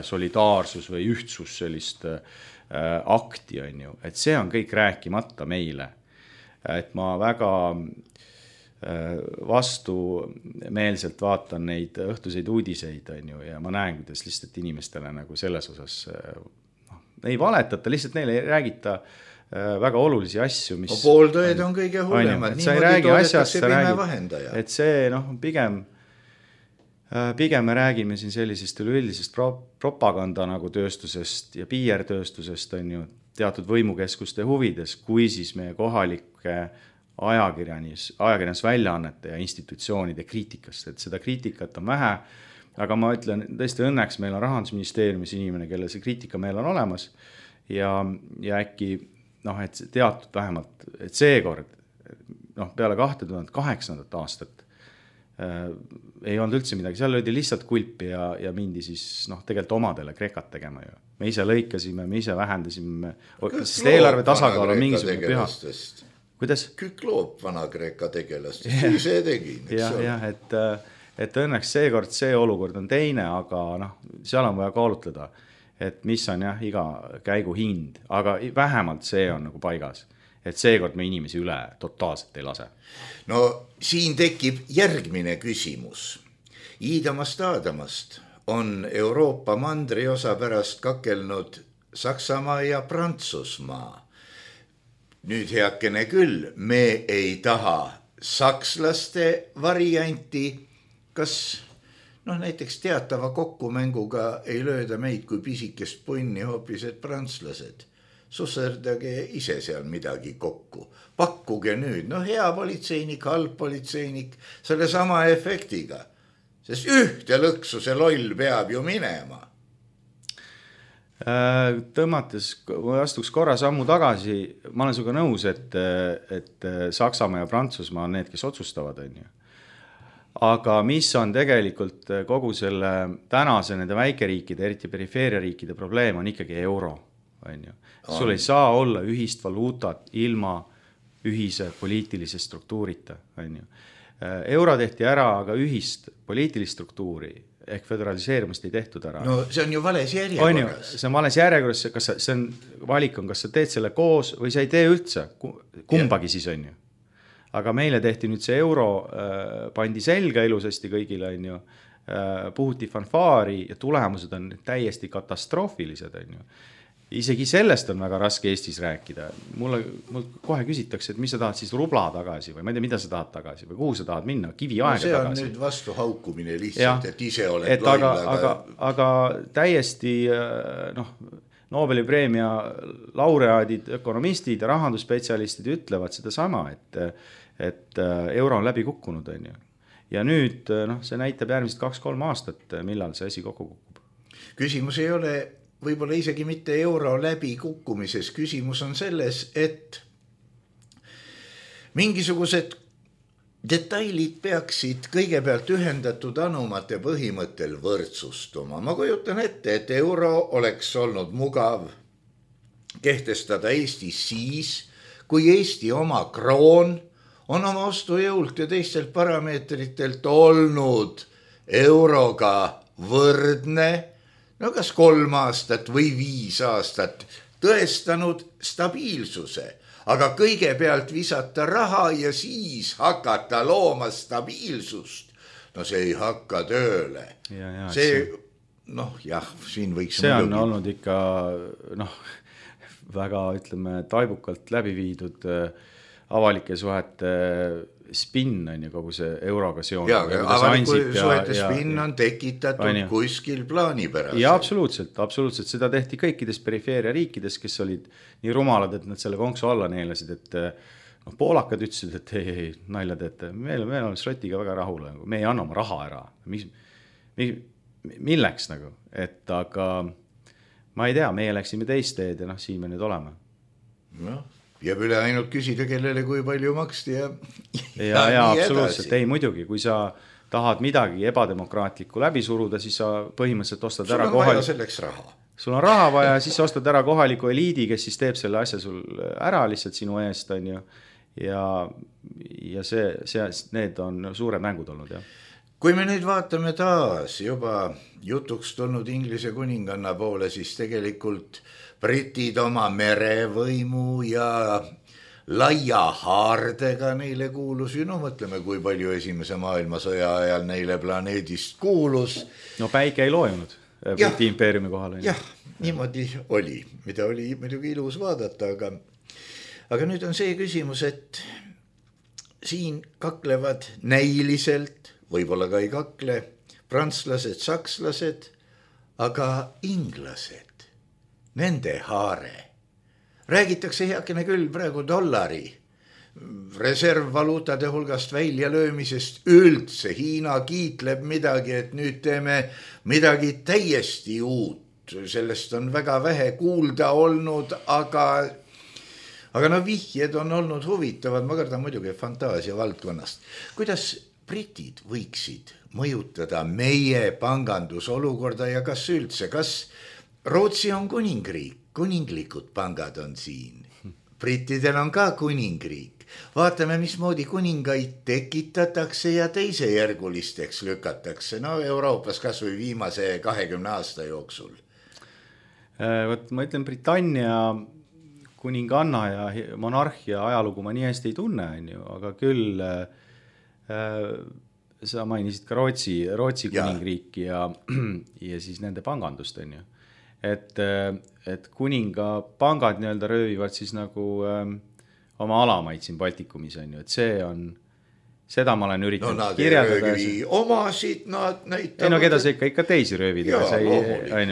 solidaarsus või ühtsus sellist akti on ju, et see on kõik rääkimata meile. Et ma väga vastumeelselt vaatan neid õhtuseid uudiseid on ju, ja ma näen, kuidas lihtsalt inimestele nagu selles osas ei valetata, lihtsalt neile ei räägita väga olulisi asju, mis pooltõed on kõige hullemad, niimoodi toodetakse pime vahendaja. Et see pigem me räägime siin sellisest üleüldisest propaganda nagu tööstusest ja PR-tööstusest on ju teatud võimukeskuste huvides, kui siis meie kohalike ajakirjandusväljaannete ja institutsioonide kriitikast, et seda kriitikat on vähe, aga ma ütlen, tõesti õnneks meil on Rahandusministeeriumis inimene, kelle see kriitika meil on olemas ja äkki et teatud vähemalt, et seekord peale 2008. aastat ei olnud üldse midagi, seal löödi lihtsalt kulpi ja mindi siis tegelikult omadele Kreekat tegema ju. Me ise lõikasime, me ise vähendasime, sest eelarve tasakaal on mingisugune püha. Kuidas? Kükloob vana Kreeka tegelast, siis see tegi. Et õnneks seekord see olukord on teine, aga seal on vaja kaalutleda, et mis on iga käigu hind, aga vähemalt see on nagu paigas, et seekord me inimesi üle totaalselt ei lase. No siin tekib järgmine küsimus. Iidamast Aadamast on Euroopa mandriosa pärast kakelnud Saksamaa ja Prantsusmaa. Nüüd heakene küll, me ei taha sakslaste varianti, kas näiteks teatava kokkumänguga ei lööda meid kui pisikest punni hoopis, et prantslased. Susserdage ise seal midagi kokku. Pakkuge nüüd, hea politseinik, halb politseinik, selle sama efektiga. Sest ühte lõksu see loll peab ju minema. Tõmmates, kui astuks korra sammu tagasi, ma olen sinuga nõus, et Saksamaa ja Prantsusmaa on need, kes otsustavad on ju. Aga mis on tegelikult kogu selle tänase nende väikeriikide, eriti perifeeriariikide probleem on ikkagi euro. On ju. Sul ei saa olla ühist valuutat ilma ühise poliitilise struktuurita. On ju. Euro tehti ära, aga ühist poliitilist struktuuri ehk föderaliseerimist ei tehtud ära. No see on ju vales järjekorras. See on vales järjekorras, see on valik on, kas sa teed selle koos või sa ei tee üldse, kumbagi siis on ju. Aga meile tehti nüüd see euro, pandi selga ilusasti kõigile on ju, puhuti fanfaari ja tulemused on täiesti katastroofilised on ju. Isegi sellest on väga raske Eestis rääkida. Mul kohe küsitakse, et mis sa tahad siis rubla tagasi või ma ei tea, mida sa tahad tagasi või kuhu sa tahad minna, kivi aega tagasi. See on nüüd vastu haukumine lihtsalt, et ise oled loll. Aga täiesti Nobeli preemia laureaadid, ökonomistid ja rahandusspetsialistid ütlevad seda sama, et euro on läbi kukkunud on ju. Ja nüüd see näitab järgmist 2-3 aastat, millal see asi kokku kukub. Küsimus ei ole võib-olla isegi mitte euro läbi kukkumises. Küsimus on selles, et mingisugused detailid peaksid kõigepealt ühendatud anumate põhimõttel võrdsustuma. Ma kujutan ette, et euro oleks olnud mugav kehtestada Eestis siis, kui Eesti oma kroon on oma ostujõult ja teistelt parameetritelt olnud euroga võrdne, no kas 3 aastat või 5 aastat tõestanud stabiilsuse, aga kõigepealt visata raha ja siis hakata looma stabiilsust, no see ei hakka tööle. See, noh jah, siin võiks see on olnud ikka väga, ütleme, taibukalt läbi viidud avalike suhete spinn on ju kogu see euroga seonduv. Ja avaliku suhete spinn on tekitatud kuskil plaanipäraselt. Ja absoluutselt. Seda tehti kõikides perifeeria riikides, kes olid nii rumalad, et nad selle konksu alla neelasid, et poolakad ütlesid, et ei, nalja teete. Meil on Šotiga väga rahul, me ei anna oma raha ära. Milleks nagu? Et aga ma ei tea, meie läksime teist teed ja siin me nüüd oleme. Noh. Jääb üle ainult küsida, kellele kui palju maksti ja absoluutselt. Ei, muidugi, kui sa tahad midagi ebademokraatlikku läbi suruda, siis sa põhimõtteliselt ostad ära vaja selleks raha. Sul on raha vaja, siis sa ostad ära kohaliku eliidi, kes siis teeb selle asja sul ära lihtsalt sinu eest, on ju. Ja need on suured mängud olnud, jah. Kui me nüüd vaatame taas juba jutuks tulnud Inglise kuninganna poole, siis tegelikult britid oma merevõimu ja laia haardega neile kuulus. Mõtleme, kui palju esimese maailmasõja ajal neile planeedist kuulus. No päike ei loojunud Briti impeeriumi kohal. Jah, niimoodi oli, mida oli muidugi ilus vaadata, aga nüüd on see küsimus, et siin kaklevad näiliselt, võib-olla ka ei kakle, prantslased, sakslased, aga inglased. Nende haare. Räägitakse heakene küll praegu dollari reservvaluutade hulgast välja löömisest üldse. Hiina kiitleb midagi, et nüüd teeme midagi täiesti uut. Sellest on väga vähe kuulda olnud, aga vihjed on olnud huvitavad. Ma kardan muidugi fantaasia valdkonnast. Kuidas britid võiksid mõjutada meie pangandusolukorda ja kas üldse, kas Rootsi on kuningriik, kuninglikud pangad on siin. Brittidel on ka kuningriik. Vaatame, mismoodi kuningaid tekitatakse ja teisejärgulisteks lükatakse. Euroopas kas või viimase 20 aasta jooksul. Ma ütlen, Britannia kuninganna ja monarhia ajalugu ma nii hästi ei tunne, aga küll sa mainisid ka Rootsi kuningriiki ja siis nende pangandust, on ju. Et kuninga pangad nii-öelda röövivad siis nagu oma alamaid siin Baltikumis, on ju, et seda ma olen üritanud kirjeldada. Nad ei röövi omasid, nad näitavad. Ei keda see ikka teisi röövida,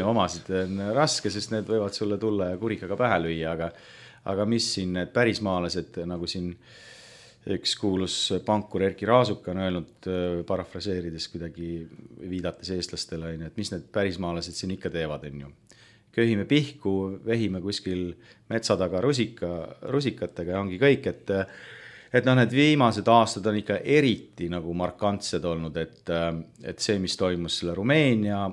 omasid on raske, sest need võivad sulle tulla ja kurikaga pähe lüüa, aga mis siin need pärismaalased, nagu siin üks kuulus pankur Erki Raasuk on öelnud, parafraseerides kuidagi viidates eestlastele, et mis need pärismaalased siin ikka teevad, on ju. Köhime pihku, vehime kuskil metsa taga rusikatega ja ongi kõik, et need viimased aastad on ikka eriti nagu markantsed olnud, et see, mis toimus selle Rumeenia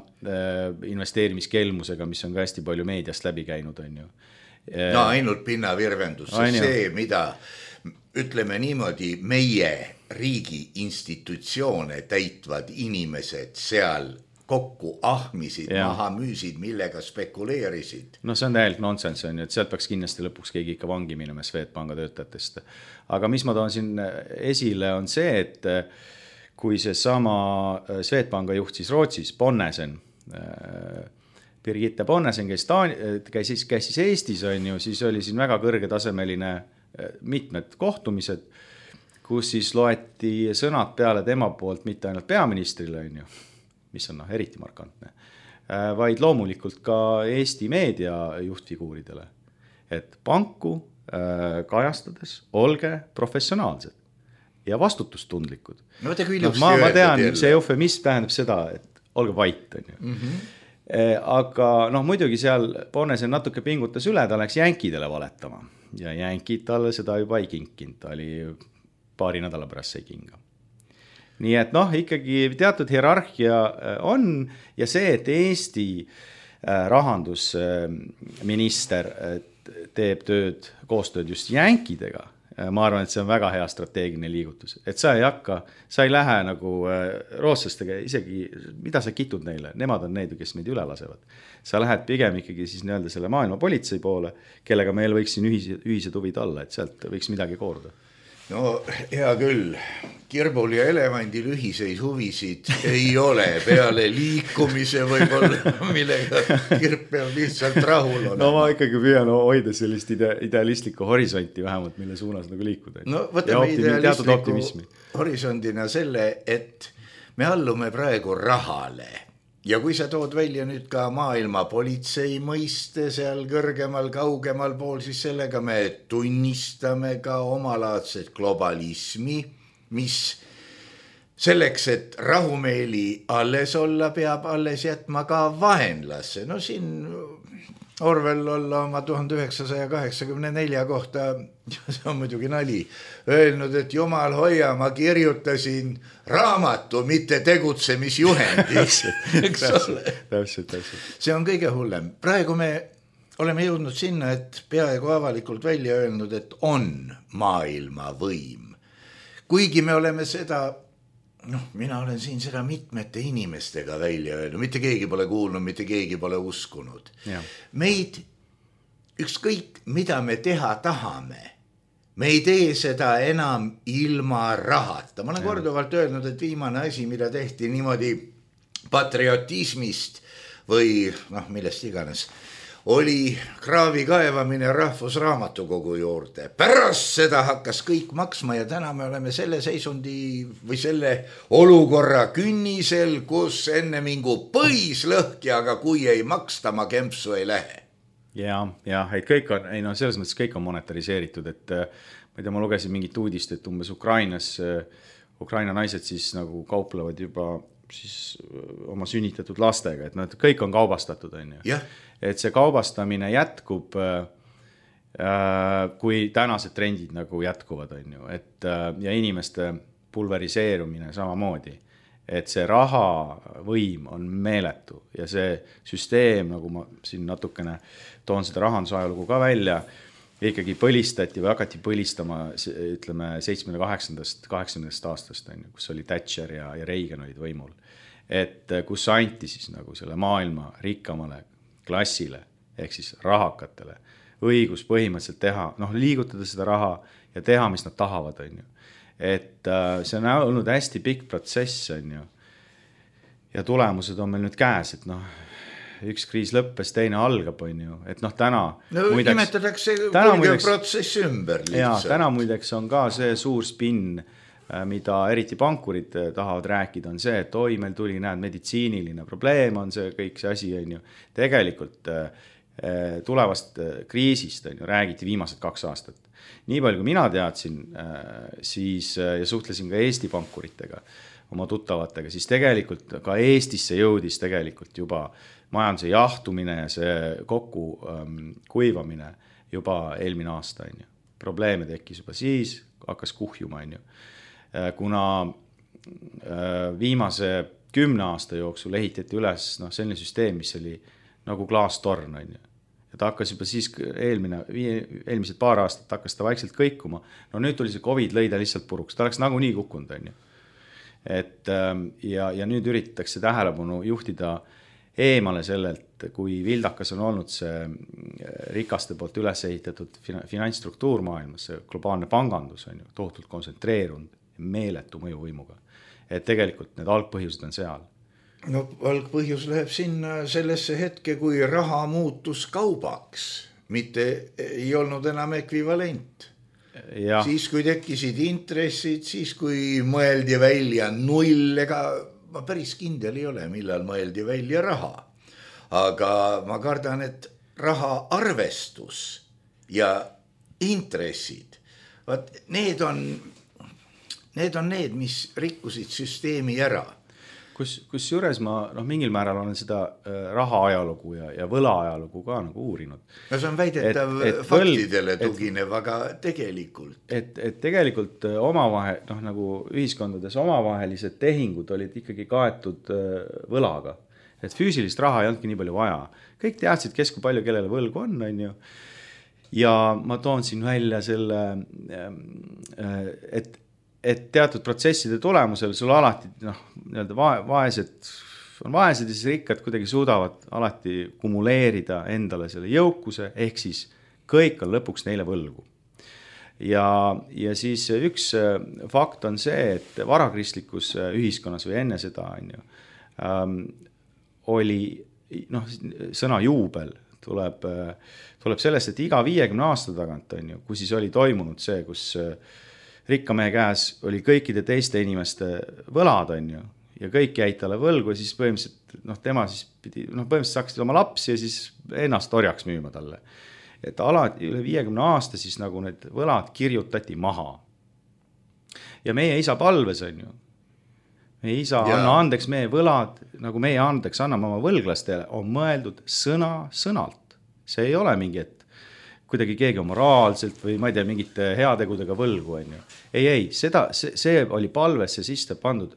investeerimiskelmusega, mis on ka hästi palju meediast läbi käinud, on ju. Ainult pinnavirvendus, see, mida ütleme niimoodi, meie riigi institutsioone täitvad inimesed seal kokku ahmisid, maha müüsid, millega spekuleerisid. See on täielikult nonsense, on ju, et sealt peaks kindlasti lõpuks keegi ikka vangi minema Swedbanka töötajatest. Aga mis ma toon siin esile on see, et kui see sama Swedbanka juht siis Rootsis, Bonnesen, Birgitte Bonnesen, käis siis Eestis, on ju, siis oli siin väga kõrgetasemeline mitmed kohtumised, kus siis loeti sõnad peale tema poolt mitte ainult peaministrile, on ju, mis on eriti markantne, vaid loomulikult ka Eesti meedia juhtfiguuridele. Et panku kajastades olge professionaalsed ja vastutustundlikud. Ma tean, see eufemism tähendab seda, et olge vait, on ju. Aga muidugi seal Bonnesen natuke pingutas üle, ta läks jänkidele valetama ja jänkid talle seda juba ei kinkinud, ta oli paari nädala pärast sai kinga. Nii et ikkagi teatud hierarhia on ja see, et Eesti rahandusminister teeb koostööd just jänkidega, ma arvan, et see on väga hea strateegiline liigutus, et sa ei lähe nagu rootslastega isegi, mida sa kitud neile, nemad on need, kes meid üle lasevad. Sa lähed pigem ikkagi siis nii-öelda selle maailma politsei poole, kellega meil võiks siin ühised huvid olla, et sealt võiks midagi kooruda. No hea küll, kirbul ja elevandil ühiseid huvisid ei ole peale liikumise võib-olla, millega kirb peab lihtsalt rahul olema. No ma ikkagi püüan hoida sellist idealistlikku horisonti vähemalt, mille suunas nagu liikuda. No võtame idealistliku horisondina selle, et me allume praegu rahale. Ja kui sa tood välja nüüd ka maailma politsei mõiste seal kõrgemal, kaugemal pool, siis sellega me tunnistame ka omalaadset globalismi, mis selleks, et rahumeeli alles olla, peab alles jätma ka vaenlasse. No siin Orwell olla oma 1984 kohta, see on muidugi nali, öelnud, et jumal hoia, ma kirjutasin raamatu, mitte tegutsemisjuhendis. Täpselt. See on kõige hullem. Praegu me oleme jõudnud sinna, et peaaegu avalikult välja öelnud, et on maailma võim. Kuigi me oleme seda, mina olen siin seda mitmete inimestega välja öelnud, mitte keegi pole kuulnud, mitte keegi pole uskunud. Ja. Meid ükskõik, mida me teha tahame, me ei tee seda enam ilma rahata. Ma olen korduvalt öelnud, et viimane asi, mida tehti niimoodi patriotismist või millest iganes, oli kraavi kaevamine Rahvusraamatukogu juurde. Pärast seda hakkas kõik maksma ja täna me oleme selle seisundi või selle olukorra künnisel, kus enne mingu põis lõhki, aga kui ei maksta, ma kempsu ei lähe. Ja, et kõik on, selles mõttes kõik on monetariseeritud, et ma ei tea, ma lugesin mingit uudist, et umbes Ukraina naised siis nagu kauplevad juba siis oma sünnitatud lastega, et kõik on kaubastatud, on ju. Yeah. Et see kaubastamine jätkub, kui tänased trendid nagu jätkuvad, on ju, et ja inimeste pulveriseerumine samamoodi, et see raha võim on meeletu ja see süsteem, nagu ma siin natukene toon seda rahandusajalugu ka välja, ikkagi põlistati või hakati põlistama, ütleme, 78. aastast, on ju, kus oli Thatcher ja Reagan olid võimul. Et kus anti siis nagu selle maailma rikkamale klassile, ehk siis rahakatele, õigus põhimõtteliselt teha, liigutada seda raha ja teha, mis nad tahavad, on ju. Et see on olnud hästi pikk protsess, on ju. Ja tulemused on meil nüüd käes, et üks kriis lõppes, teine algab, on ju, et täna nimetatakse kulgev protsess ümber lihtsalt. Ja täna muideks on ka see suur spinn, mida eriti pankurid tahavad rääkida, on see, et meil tuli, meditsiiniline probleem on see kõik see asi, on ju. Tegelikult tulevast kriisist, on ju, räägiti viimased 2 aastat. Nii palju, kui mina teadsin, siis, ja suhtlesin ka Eesti pankuritega, oma tuttavatega, siis tegelikult ka Eestisse jõudis tegelikult juba majanduse jahtumine ja see kokku kuivamine juba eelmine aasta, on ju. Probleeme tekkis juba siis, hakkas kuhjuma, on ju. Kuna viimase 10 aasta jooksul ehitati üles selline süsteem, mis oli nagu klaastorn, on ju. Ja ta hakkas juba siis eelmised paar aastat hakkas ta vaikselt kõikuma. Nüüd tuli see COVID lõida lihtsalt puruks, ta oleks nagu nii kukkunud, on ju. Et, ja nüüd üritatakse tähelepanu juhtida eemale sellelt, kui vildakas on olnud see rikaste poolt üles ehitatud finantsstruktuur maailmas, see globaalne pangandus on ju tohutult kontsentreerunud meeletu mõjuvõimuga. Et tegelikult need algpõhjused on seal. Algpõhjus läheb sinna sellesse hetke, kui raha muutus kaubaks, mitte ei olnud enam ekvivalent. Ja. Siis, kui tekkisid intressid, siis, kui mõeldi välja null, ega ma päris kindel ei ole, millal mõeldi välja raha. Aga ma kardan, et raha arvestus ja intressid, need on need, mis rikkusid süsteemi ära. Kus juures ma mingil määral olen seda raha ajalugu ja võla ajalugu ka nagu uurinud. No see on väidetav faktidele tuginev, aga tegelikult. Et tegelikult omavahel, nagu ühiskondades omavahelised tehingud olid ikkagi kaetud võlaga. Et füüsilist raha ei olnudki nii palju vaja. Kõik teadsid, kes kui palju kellele võlgu on ju. ja ma toon siin välja selle, et teatud protsesside tulemusel sul alati vaesed on vaesed ja siis rikkad kuidagi suudavad alati kumuleerida endale selle jõukuse, ehk siis kõik on lõpuks neile võlgu. Ja siis üks fakt on see, et varakristlikus ühiskonnas või enne seda oli sõna juubel tuleb sellest, et iga 50 aasta tagant kui siis oli toimunud see, kus rikka mehe käes oli kõikide teiste inimeste võlad ja kõik jäid talle võlgu ja siis põhimõtteliselt tema siis pidi, põhimõtteliselt hakkasid oma lapsi ja siis ennast orjaks müüma talle. Et alati üle 50 aasta siis nagu need võlad kirjutati maha. Ja meie isa palves meie isa anna andeks meie võlad, nagu meie andeks anname oma võlglastele, on mõeldud sõnalt. See ei ole mingi, et kuidagi keegi on moraalselt või ma ei tea, mingite heategudega võlgu. Ei, see oli palvesse sisse pandud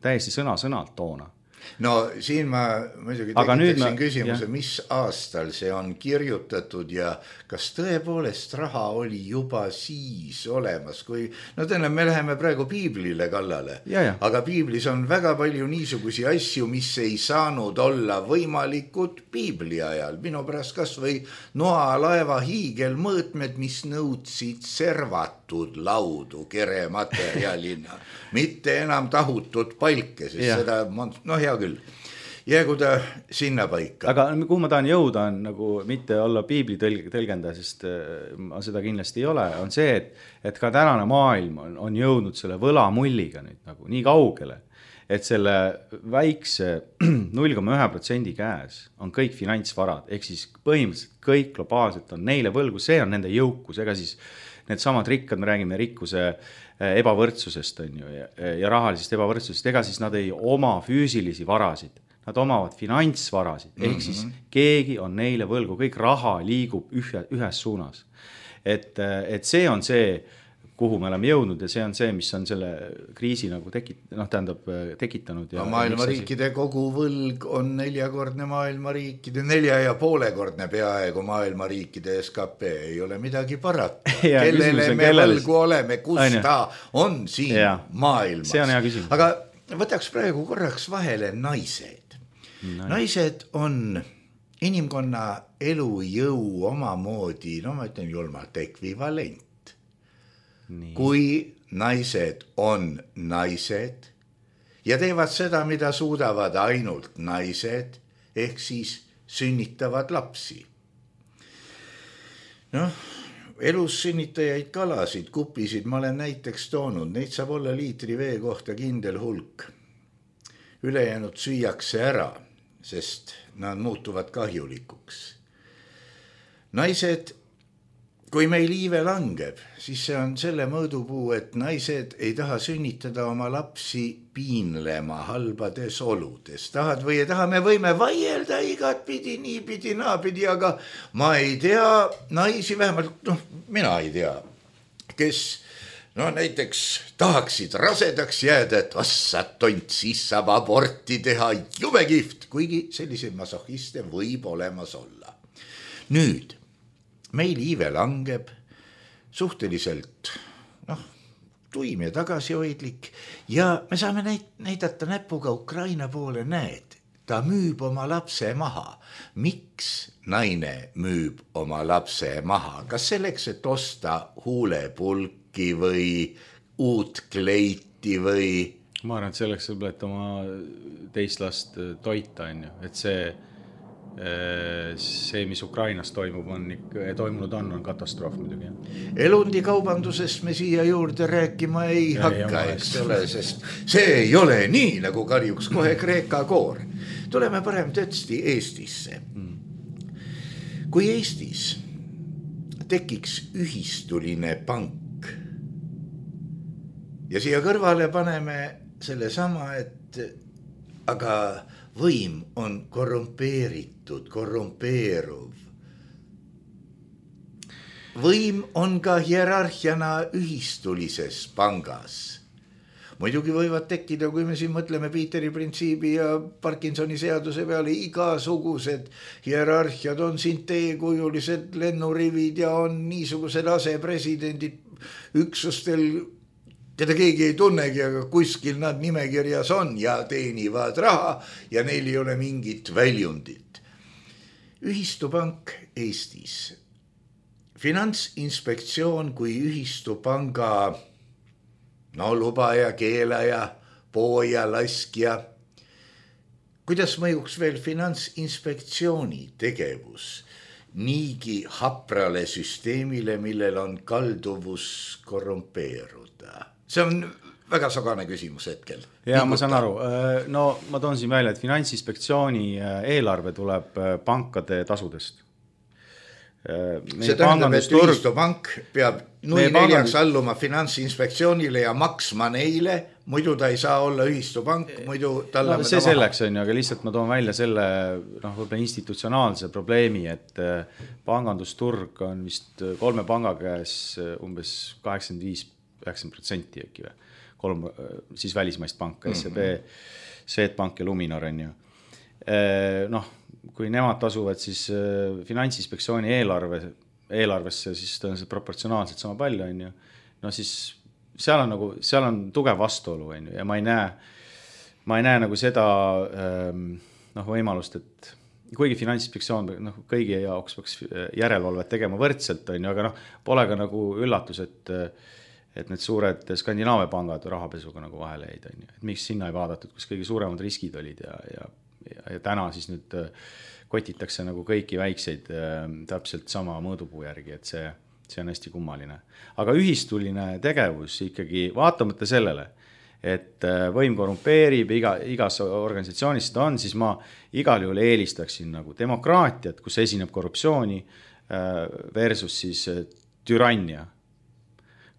täiesti sõnalt toona. No siin ma muidugi tekitaksin küsimuse, mis aastal see on kirjutatud ja kas tõepoolest raha oli juba siis olemas, kui me läheme praegu piiblile kallale, aga piiblis on väga palju niisugusi asju, mis ei saanud olla võimalikud piibli ajal. Minu pärast kas või Noa laeva hiigelmõõtmed, mis nõudsid servatud laudu kerematerjalina, mitte enam tahutud palke, sest seda, hea küll, jäägu ta sinna paika. Aga kuhu ma tahan jõuda on nagu mitte olla piibli tõlgendaja, sest ma seda kindlasti ei ole, on see, et ka tänane maailm on jõudnud selle võlamulliga nüüd nagu nii kaugele, et selle väikse 0,1% käes on kõik finantsvarad, ehk siis põhimõtteliselt kõik globaalselt on neile võlgu, see on nende jõukus, ega siis need samad rikkad, me räägime rikkuse ebavõrdsusest ja rahalisest ebavõrdsusest, ega siis nad ei oma füüsilisi varasid, nad omavad finantsvarasid, ehk siis keegi on neile võlgu, kõik raha liigub ühes suunas. Et see on see, kuhu me oleme jõudnud ja see on see, mis on selle kriisi nagu tekitanud. Ja maailma riikide kogu võlg on 4-kordne maailma riikide, 4,5-kordne peaaegu maailma riikide SKP, ei ole midagi parata. Kellele me võlgu oleme, kus ta on siin maailmas. See on hea küsimus. Aga võtaks praegu korraks vahele naised. Naised on inimkonna elujõu omamoodi, ma ütlen julmalt, ekvivalent. Nii. Kui naised on naised ja teevad seda, mida suudavad ainult naised, ehk siis sünnitavad lapsi. Elus sünnitajaid kalasid, kupisid ma olen näiteks toonud, neid saab olla liitri vee kohta kindel hulk. Ülejäänud süüakse ära, sest nad muutuvad kahjulikuks. Naised, kui meil iive langeb, siis see on selle mõõdupuu, et naised ei taha sünnitada oma lapsi piinlema halbades oludes. Tahad või ei taha, me võime vaielda igat pidi, nii pidi, naapidi, aga ma ei tea naisi, vähemalt mina ei tea, kes näiteks tahaksid rasedaks jääda, et vassad tont, siis saab aborti teha, jube kihvt, kuigi selliseid masohhiste võib olemas olla. Nüüd meil iive langeb suhteliselt tuim ja tagasihoidlik ja me saame näidata näpuga Ukraina poole, näed, ta müüb oma lapse maha. Miks naine müüb oma lapse maha? Kas selleks, et osta huulepulki või uut kleiti või? Ma arvan, et selleks, et oma teist last toita, et see, mis Ukrainas toimunud on katastroof muidugi. Elundi kaubandusest me siia juurde rääkima ei hakka, eks ole, sest see ei ole nii, nagu karjuks kohe Kreeka koor. Tuleme parem tõesti Eestisse. Kui Eestis tekiks ühistuline pank ja siia kõrvale paneme selle sama, et aga võim on korrumpeeritud, korrumpeeruv. Võim on ka hierarhiana ühistulises pangas. muidugi võivad tekkida, kui me siin mõtleme Peteri printsiibi ja Parkinsoni seaduse peale, igasugused hierarhiad, on siin teekujulised lennurivid ja on niisugused asepresidendid üksustel, keda keegi ei tunnegi, aga kuskil nad nimekirjas on ja teenivad raha ja neil ei ole mingit väljundit. Ühistupank Eestis. Finantsinspektsioon kui ühistupanga lubaja, keelaja, pooja, laskja. Kuidas mõjuks veel Finantsinspektsiooni tegevus niigi haprale süsteemile, millel on kalduvus korrumpeeruda? See on väga sagane küsimus hetkel. Ja ma saan aru. No ma toon siin välja, et Finantsinspektsiooni eelarve tuleb pankade tasudest. See tähendab, et ühistupank peab 0,4 alluma Finantsinspektsioonile ja maksma neile, muidu ta ei saa olla ühistupank, muidu talle see selleks on ju, aga lihtsalt ma toon välja selle võib-olla institutsionaalse probleemi, et pangandusturg on vist 3 panga käes umbes 85-90% äkki või. 3 siis välismaist panka, SEB, Swedbank ja Luminor on ju. Kui nemad tasuvad siis Finantsinspektsiooni eelarvesse, siis tõenäoliselt proportsionaalselt sama palju on ju. No siis seal on tugev vastuolu on ju ja ma ei näe nagu seda võimalust, et kuigi Finantsinspektsioon kõigi jaoks peaks järelevalvet tegema võrdselt on ju, aga pole ka nagu üllatus, et need suured Skandinaavia pangad rahapesuga nagu vahele jäid on ju. Et miks sinna ei vaadatud, kus kõige suuremad riskid olid ja täna siis nüüd kotitakse nagu kõiki väikseid täpselt sama mõõdupuu järgi, et see on hästi kummaline. Aga ühistuline tegevus ikkagi vaatamata sellele, et võim korrumpeerib, igas organisatsioonis seda on, siis ma igal juhul eelistaksin nagu demokraatiat, kus esineb korruptsiooni versus siis türannia,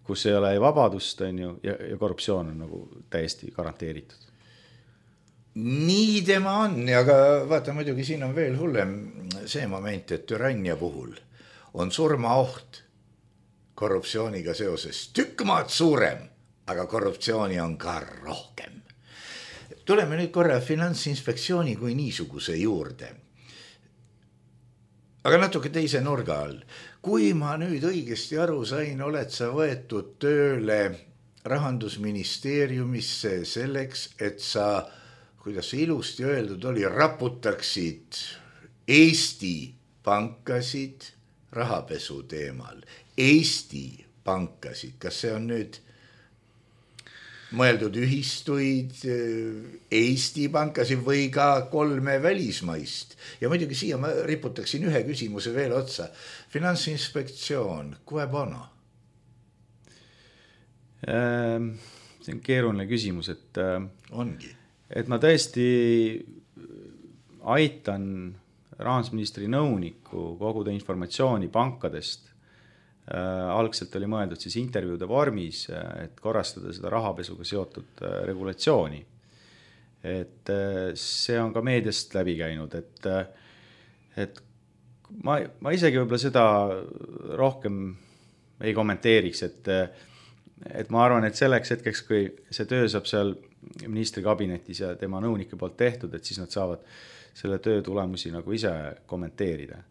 kus ei ole vabadust on ju, ja korruptsioon on nagu täiesti garanteeritud. Nii tema on, aga vaata muidugi siin on veel hullem see moment, et türannia puhul on surmaoht korruptsiooniga seoses tükkmaad suurem, aga korruptsiooni on ka rohkem. Tuleme nüüd korra Finantsinspektsiooni kui niisuguse juurde. Aga natuke teise nurga all. Kui ma nüüd õigesti aru sain, oled sa võetud tööle Rahandusministeeriumisse selleks, et sa kuidas see ilusti öeldud oli, raputaksid Eesti pankasid rahapesu teemal. Eesti pankasid, kas see on nüüd mõeldud ühistuid, Eesti pankasid või ka 3 välismaist? Ja muidugi siia ma riputaksin ühe küsimuse veel otsa. Finantsinspektsioon, kui bono? See on keeruline küsimus, et ongi. Et ma tõesti aitan rahandusministri nõuniku koguda informatsiooni pankadest. Algselt oli mõeldud siis intervjuude vormis, et korrastada seda rahapesuga seotud regulatsiooni. Et see on ka meediast läbi käinud, et ma isegi võib-olla seda rohkem ei kommenteeriks, et ma arvan, et selleks hetkeks, kui see töö saab seal ministri kabinetis ja tema nõunike poolt tehtud, et siis nad saavad selle töö tulemusi nagu ise kommenteerida.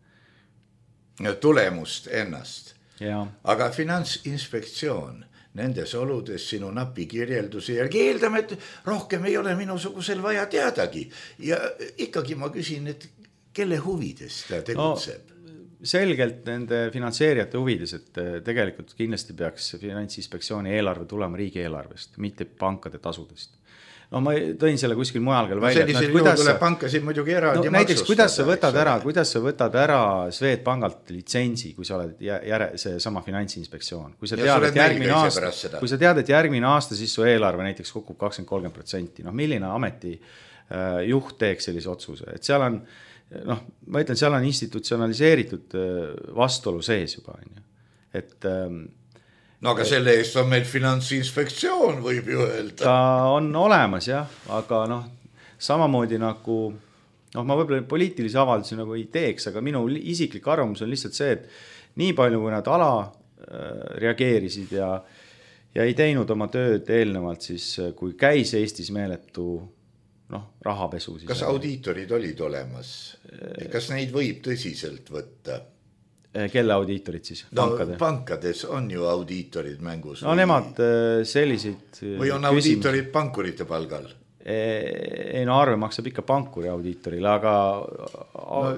Tulemust ennast. Ja. Aga Finantsinspektsioon nendes oludes sinu napi kirjelduse järgi eeldame, et rohkem ei ole minusugusel vaja teadagi. Ja ikkagi ma küsin, et kelle huvides ta tegutseb? Selgelt nende finantseerijate huvides, et tegelikult kindlasti peaks Finantsinspektsiooni eelarve tulema riigieelarvest, mitte pankade tasudest. No ma tõin selle kuskil mujal veel välja. Sellisel juhul tuleb pankasid muidugi eraldi näiteks, kuidas sa võtad ära Swedbankalt litsentsi, kui sa oled see sama Finantsinspektsioon. Kui sa tead, et järgmine aasta siis su eelarve näiteks kukub 20-30%, milline ameti juht teeks sellise otsuse, et seal on ma ütlen, seal on institutsionaliseeritud vastuolu sees juba. Et no aga selle eest on meil Finantsinspektsioon, võib ju öelda. Ta on olemas jah, aga samamoodi nagu, ma võib-olla poliitilisi avaldusi nagu ei teeks, aga minu isiklik arvamus on lihtsalt see, et nii palju, kui nad ala reageerisid ja ei teinud oma tööd eelnevalt siis, kui käis Eestis meeletu rahapesu. Kas audiitorid olid olemas? Kas neid võib tõsiselt võtta? Kelle audiitorid siis? Pankades on ju audiitorid mängus. No nemad selliseid või on audiitorid pankurite palgal? Ei arve maksab ikka pankuri audiitorile, aga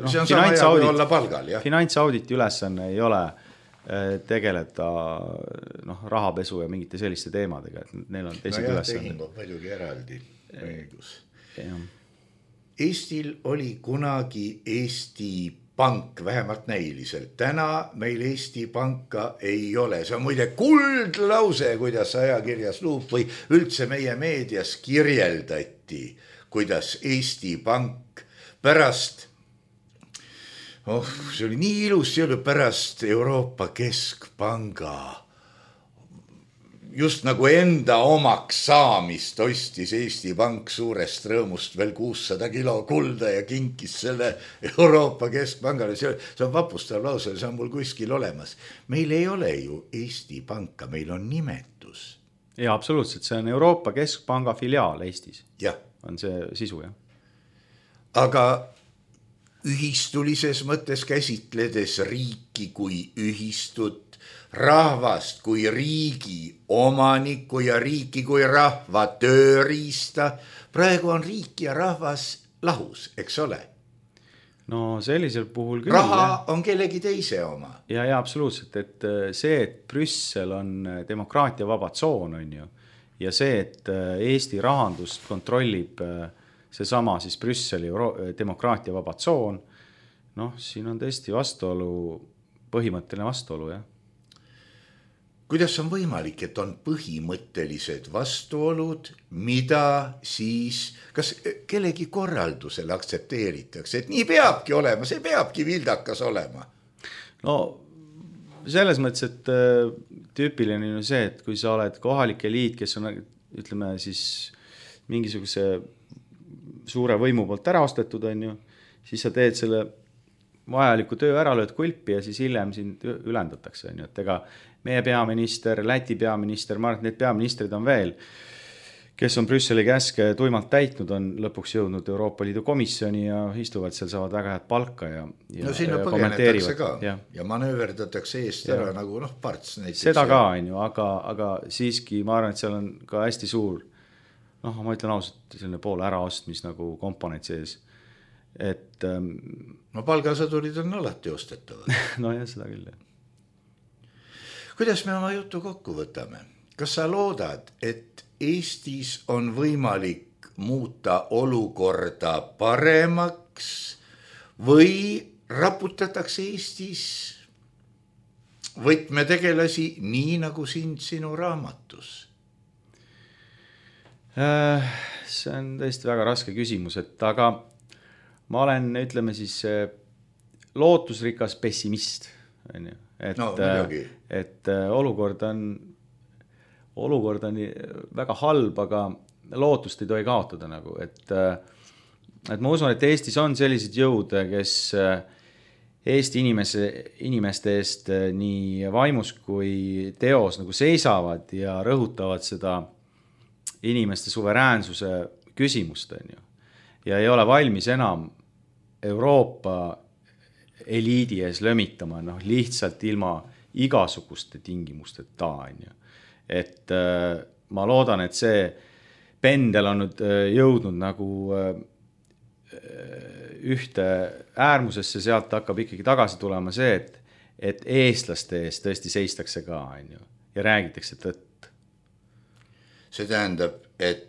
see on sama hea kui olla palgal, jah. Finantsauditi ülesanne ei ole tegeleda rahapesu ja mingite selliste teemadega, et neil on teised ülesanne. Tehing on paljugi eraldi õigus. Eestil oli kunagi Eesti Pank, vähemalt näiliselt. Täna meil Eesti Panka ei ole. See on muide kuldlause, kuidas ajakirjas Luup või üldse meie meedias kirjeldati, kuidas Eesti Pank pärast, see oli nii ilus, see oli pärast Euroopa Keskpanga just nagu enda omaks saamist ostis Eesti Pank suurest rõõmust veel 600 kilo kulda ja kinkis selle Euroopa Keskpangale. See on vapustav lause, see on mul kuskil olemas. Meil ei ole ju Eesti Panka, meil on nimetus. Ja, absoluutselt, see on Euroopa Keskpanga filiaal Eestis. Ja. On see sisu, jah. Aga ühistulises mõttes käsitledes riiki kui ühistut, rahvast kui riigi omanikku ja riiki kui rahva tööriista. Praegu on riik ja rahvas lahus, eks ole? No sellisel puhul küll. Raha on kellegi teise oma. Ja, absoluutselt, et see, et Brüssel on demokraatia vaba tsoon, on ju, ja see, et Eesti rahandust kontrollib seesama siis Brüsseli demokraatia vaba tsoon, siin on tõesti vastuolu, põhimõtteline vastuolu, jah. Kuidas on võimalik, et on põhimõttelised vastuolud, mida siis, kas kellegi korraldusel aktsepteeritakse, et nii peabki olema, see peabki vildakas olema? No selles mõttes, et tüüpiline on see, et kui sa oled kohalike liit, kes on, ütleme siis mingisuguse suure võimu poolt ära ostetud, on ju, siis sa teed selle vajaliku töö ära, lööd kulpi ja siis hiljem sind ülendatakse, on ju, et ega meie peaminister, Läti peaminister, ma arvan, et need peaministrid on veel, kes on Brüsseli käske tuimalt täitnud, on lõpuks jõudnud Euroopa Liidu komisjoni ja istuvad seal, saavad väga head palka ja sinna põgenetakse ka ja manööverdatakse eest ära nagu parts näiteks. Seda ka, on ju, aga siiski ma arvan, et seal on ka hästi suur, ma ütlen ausalt, selline pool äraostmis nagu komponent sees, et palgasõdurid on alati ostetavad. No jah, seda küll, jah. Kuidas me oma jutu kokku võtame? Kas sa loodad, et Eestis on võimalik muuta olukorda paremaks või raputatakse Eestis võtmetegelasi nii nagu sinu raamatus? See on tõesti väga raske küsimus, aga ma olen, ütleme siis, lootusrikas pessimist, on ju. Et olukord on väga halb, aga lootust ei tohi kaotada nagu, et ma usun, et Eestis on sellised jõud, kes Eesti inimeste eest nii vaimus kui teos nagu seisavad ja rõhutavad seda inimeste suveräänsuse küsimust, on ju. Ja ei ole valmis enam Euroopa eliidi ees lömitama, lihtsalt ilma igasuguste tingimusteta, on ju. Et ma loodan, et see pendel on nüüd jõudnud nagu ühte äärmusesse, sealt hakkab ikkagi tagasi tulema see, et eestlaste eest tõesti seistakse ka, on ju, ja räägitakse tõtt. See tähendab, et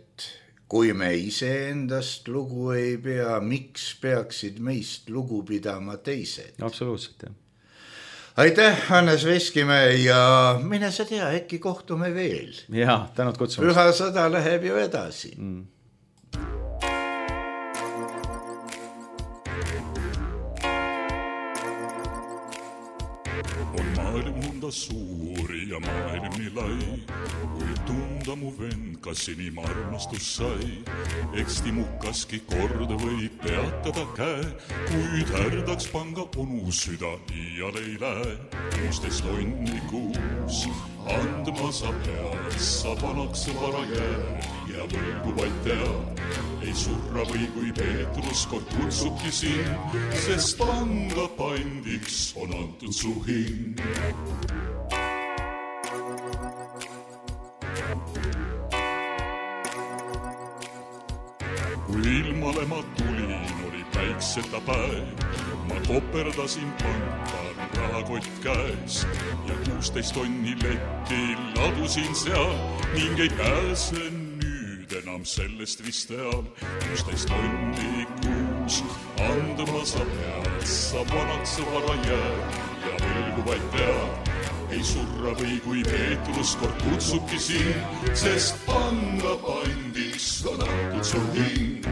kui me iseendast lugu ei pea, miks peaksid meist lugu pidama teised? Absoluutselt, jah. Aitäh, Hannes Veskimäe ja mine sa tea, äkki kohtume veel. Jaa, tänud kutsumast. Püha sõda läheb ju edasi. On maailm monta suuri ja maailm nii lai, kui tunda mu vend, kas inim armastus sai. Eksti mukaski kord võib peatada käe, kuid härdaks panga onu süda iial ei lähe. 16 tonni kuus andma sa pead, sa vanaks vara jääd ja võlgu vaid tead. Ei surra või kui Peetrus kord kutsubki sind, sest panga pandiks on antud su hing. Kui ilmale ma tulin, oli päikseta päev. Ma koperdasin panka rahakott käes ja 16 tonni letti ladusin seal ning ei pääse nüüd enam sellest vist eal. 16 tonni kuus andma sa pead, sa vanaks vara jääd ja võlgu vaid tead. Ei surra või kui Peetrus kord kutsubki sind, sest panga pandiks on antud su hing.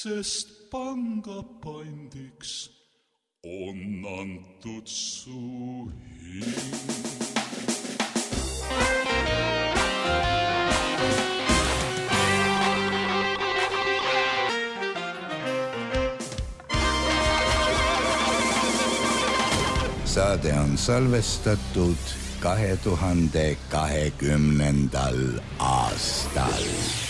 Sest panga pandiks on antud su hing. Saade on salvestatud 2020. aastal.